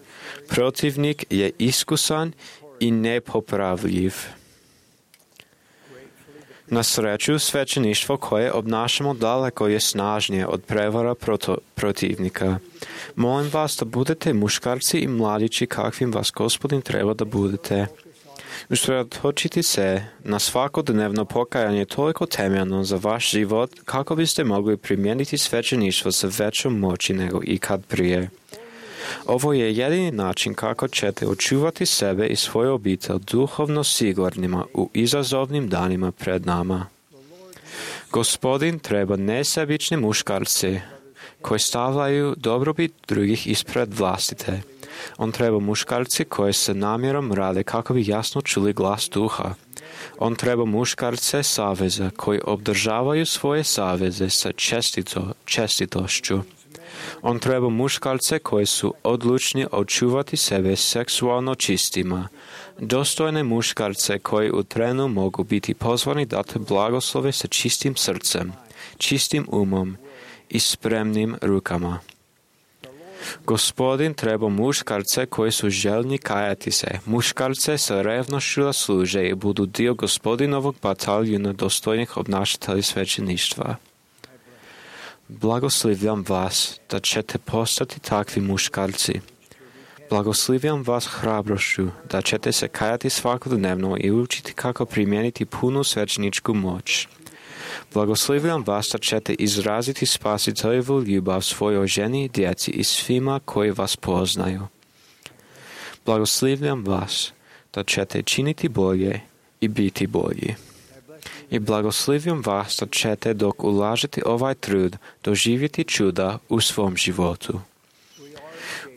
[SPEAKER 4] protivnik je iskusan i nepopravljiv. Na sreću, svećeništvo koje obnašamo daleko je snažnije od prevara protivnika. Molim vas da budete muškarci i mladići kakvim vas Gospodin treba da budete. Usredotočiti se na svakodnevno pokajanje toliko temeljno za vaš život kako biste mogli primijeniti svećeništvo sa većom moći nego ikad prije. Ovo je jedini način kako ćete očuvati sebe i svoju obitelj duhovno sigurnima u izazovnim danima pred nama. Gospodin treba nesebične muškarce koji stavljaju dobrobit drugih ispred vlastite. On treba muškarci koji se namjerom rade kako bi jasno čuli glas duha. On treba muškarce saveza koji obdržavaju svoje saveze sa čestitošću. On treba muškarce koji su odlučni očuvati sebe seksualno čistima. Dostojne muškarce koji u trenu mogu biti pozvani dati blagoslove sa čistim srcem, čistim umom i spremnim rukama. Gospodin treba muškarce koji su željni kajati se, muškarce sa revnošću da služe i budu dio Gospodinovog bataljuna dostojnih obnašatelja svećeništva. Blagoslivljam vas da ćete postati takvi muškarci. Blagoslivljam vas hrabrošću da ćete se kajati svakodnevno i učiti kako primijeniti punu svećeničku moć. Blagoslivljam vas da ćete izraziti Spasiteljevu ljubav svojoj ženi, djeci i svima koji vas poznaju. Blagoslivljam vas da ćete činiti bolje i biti bolji. I blagoslivljam vas da ćete dok ulažete ovaj trud doživjeti čuda u svom životu.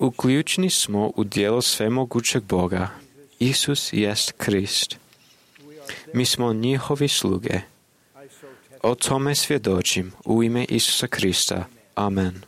[SPEAKER 4] Uključeni smo u djelo svemogućeg Boga. Isus jest Krist. Mi smo njihovi sluge. O tome svjedočim u ime Isusa Krista. Amen.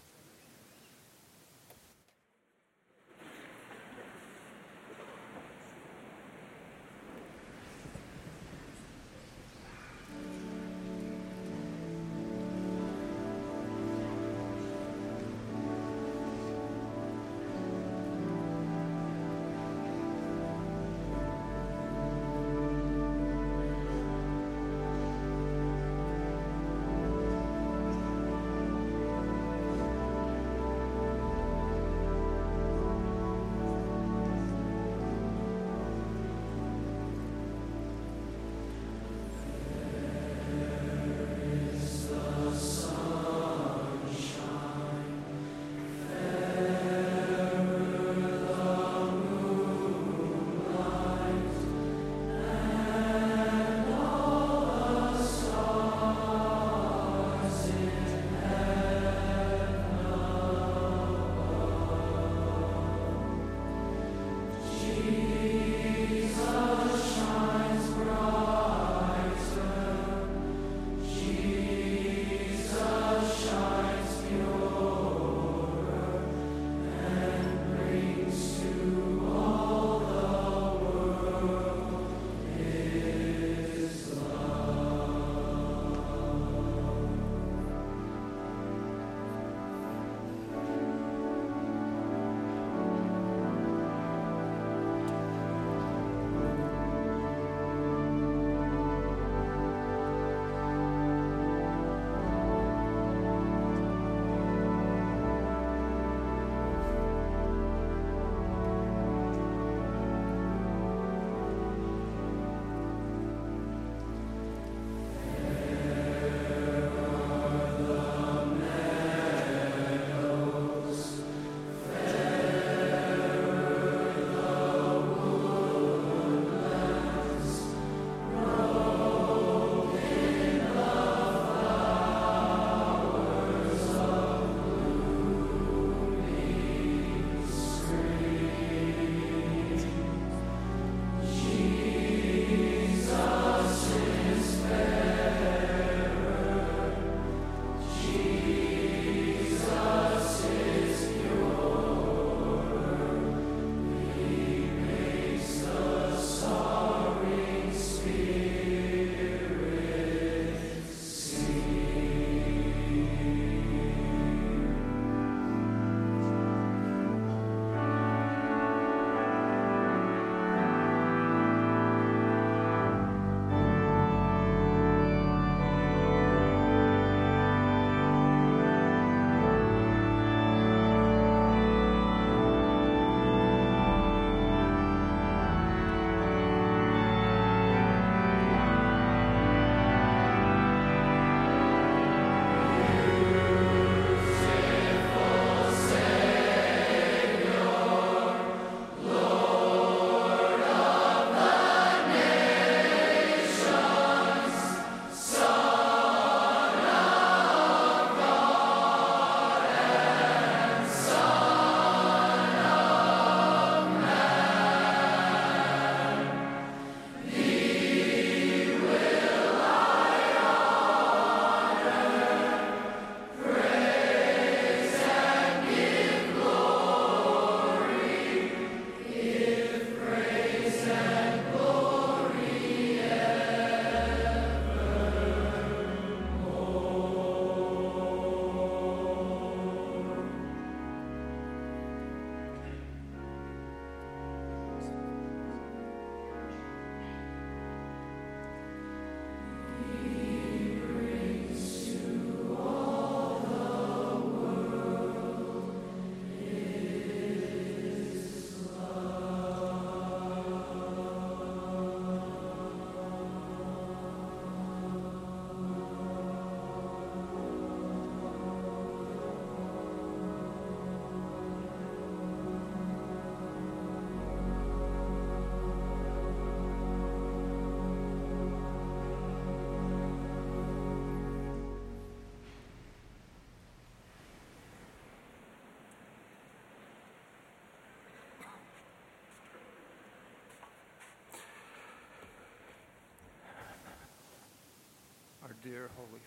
[SPEAKER 3] dear Holy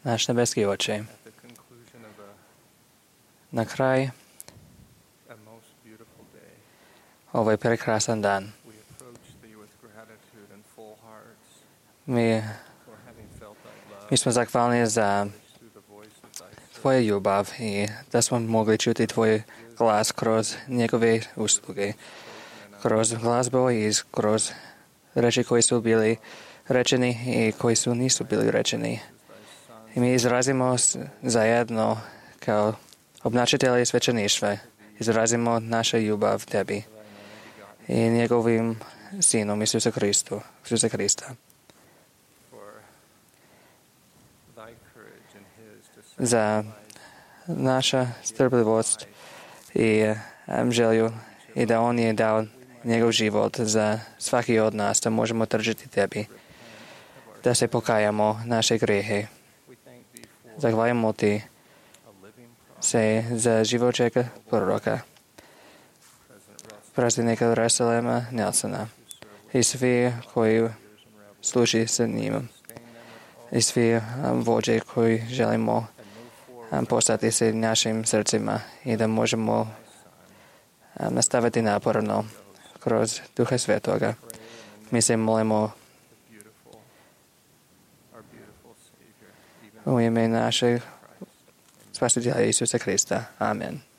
[SPEAKER 5] Naš nebeski Oče, na kraj ovaj prekrasan dan mi smo zahvalni za Tvoju ljubav i da smo mogli čuti Tvoj glas kroz njegove usluge, kroz glazbu i kroz reči koji su bili rečeni i koji su nisu bili rečeni. I mi izrazimo zajedno kao obnačitelji svećeništva, izrazimo našu ljubav Tebi i njegovim Sinom Isusa Krista. Za naša strpljivost i želju i da On je dao njegov život za svaki od nas, da možemo tržiti Tebi, da se pokajamo naše grehe. Zahvaljujemo Ti se za živočega proroka, predsjednika Russella Nelsona i svi koji služi sa njim i svi vođe koji želimo postati se našim srcima i da možemo nastaviti naporno kroz Duha Svetoga. Mi se molimo u ime našeg Spasitelja Isusa Krista. Amen.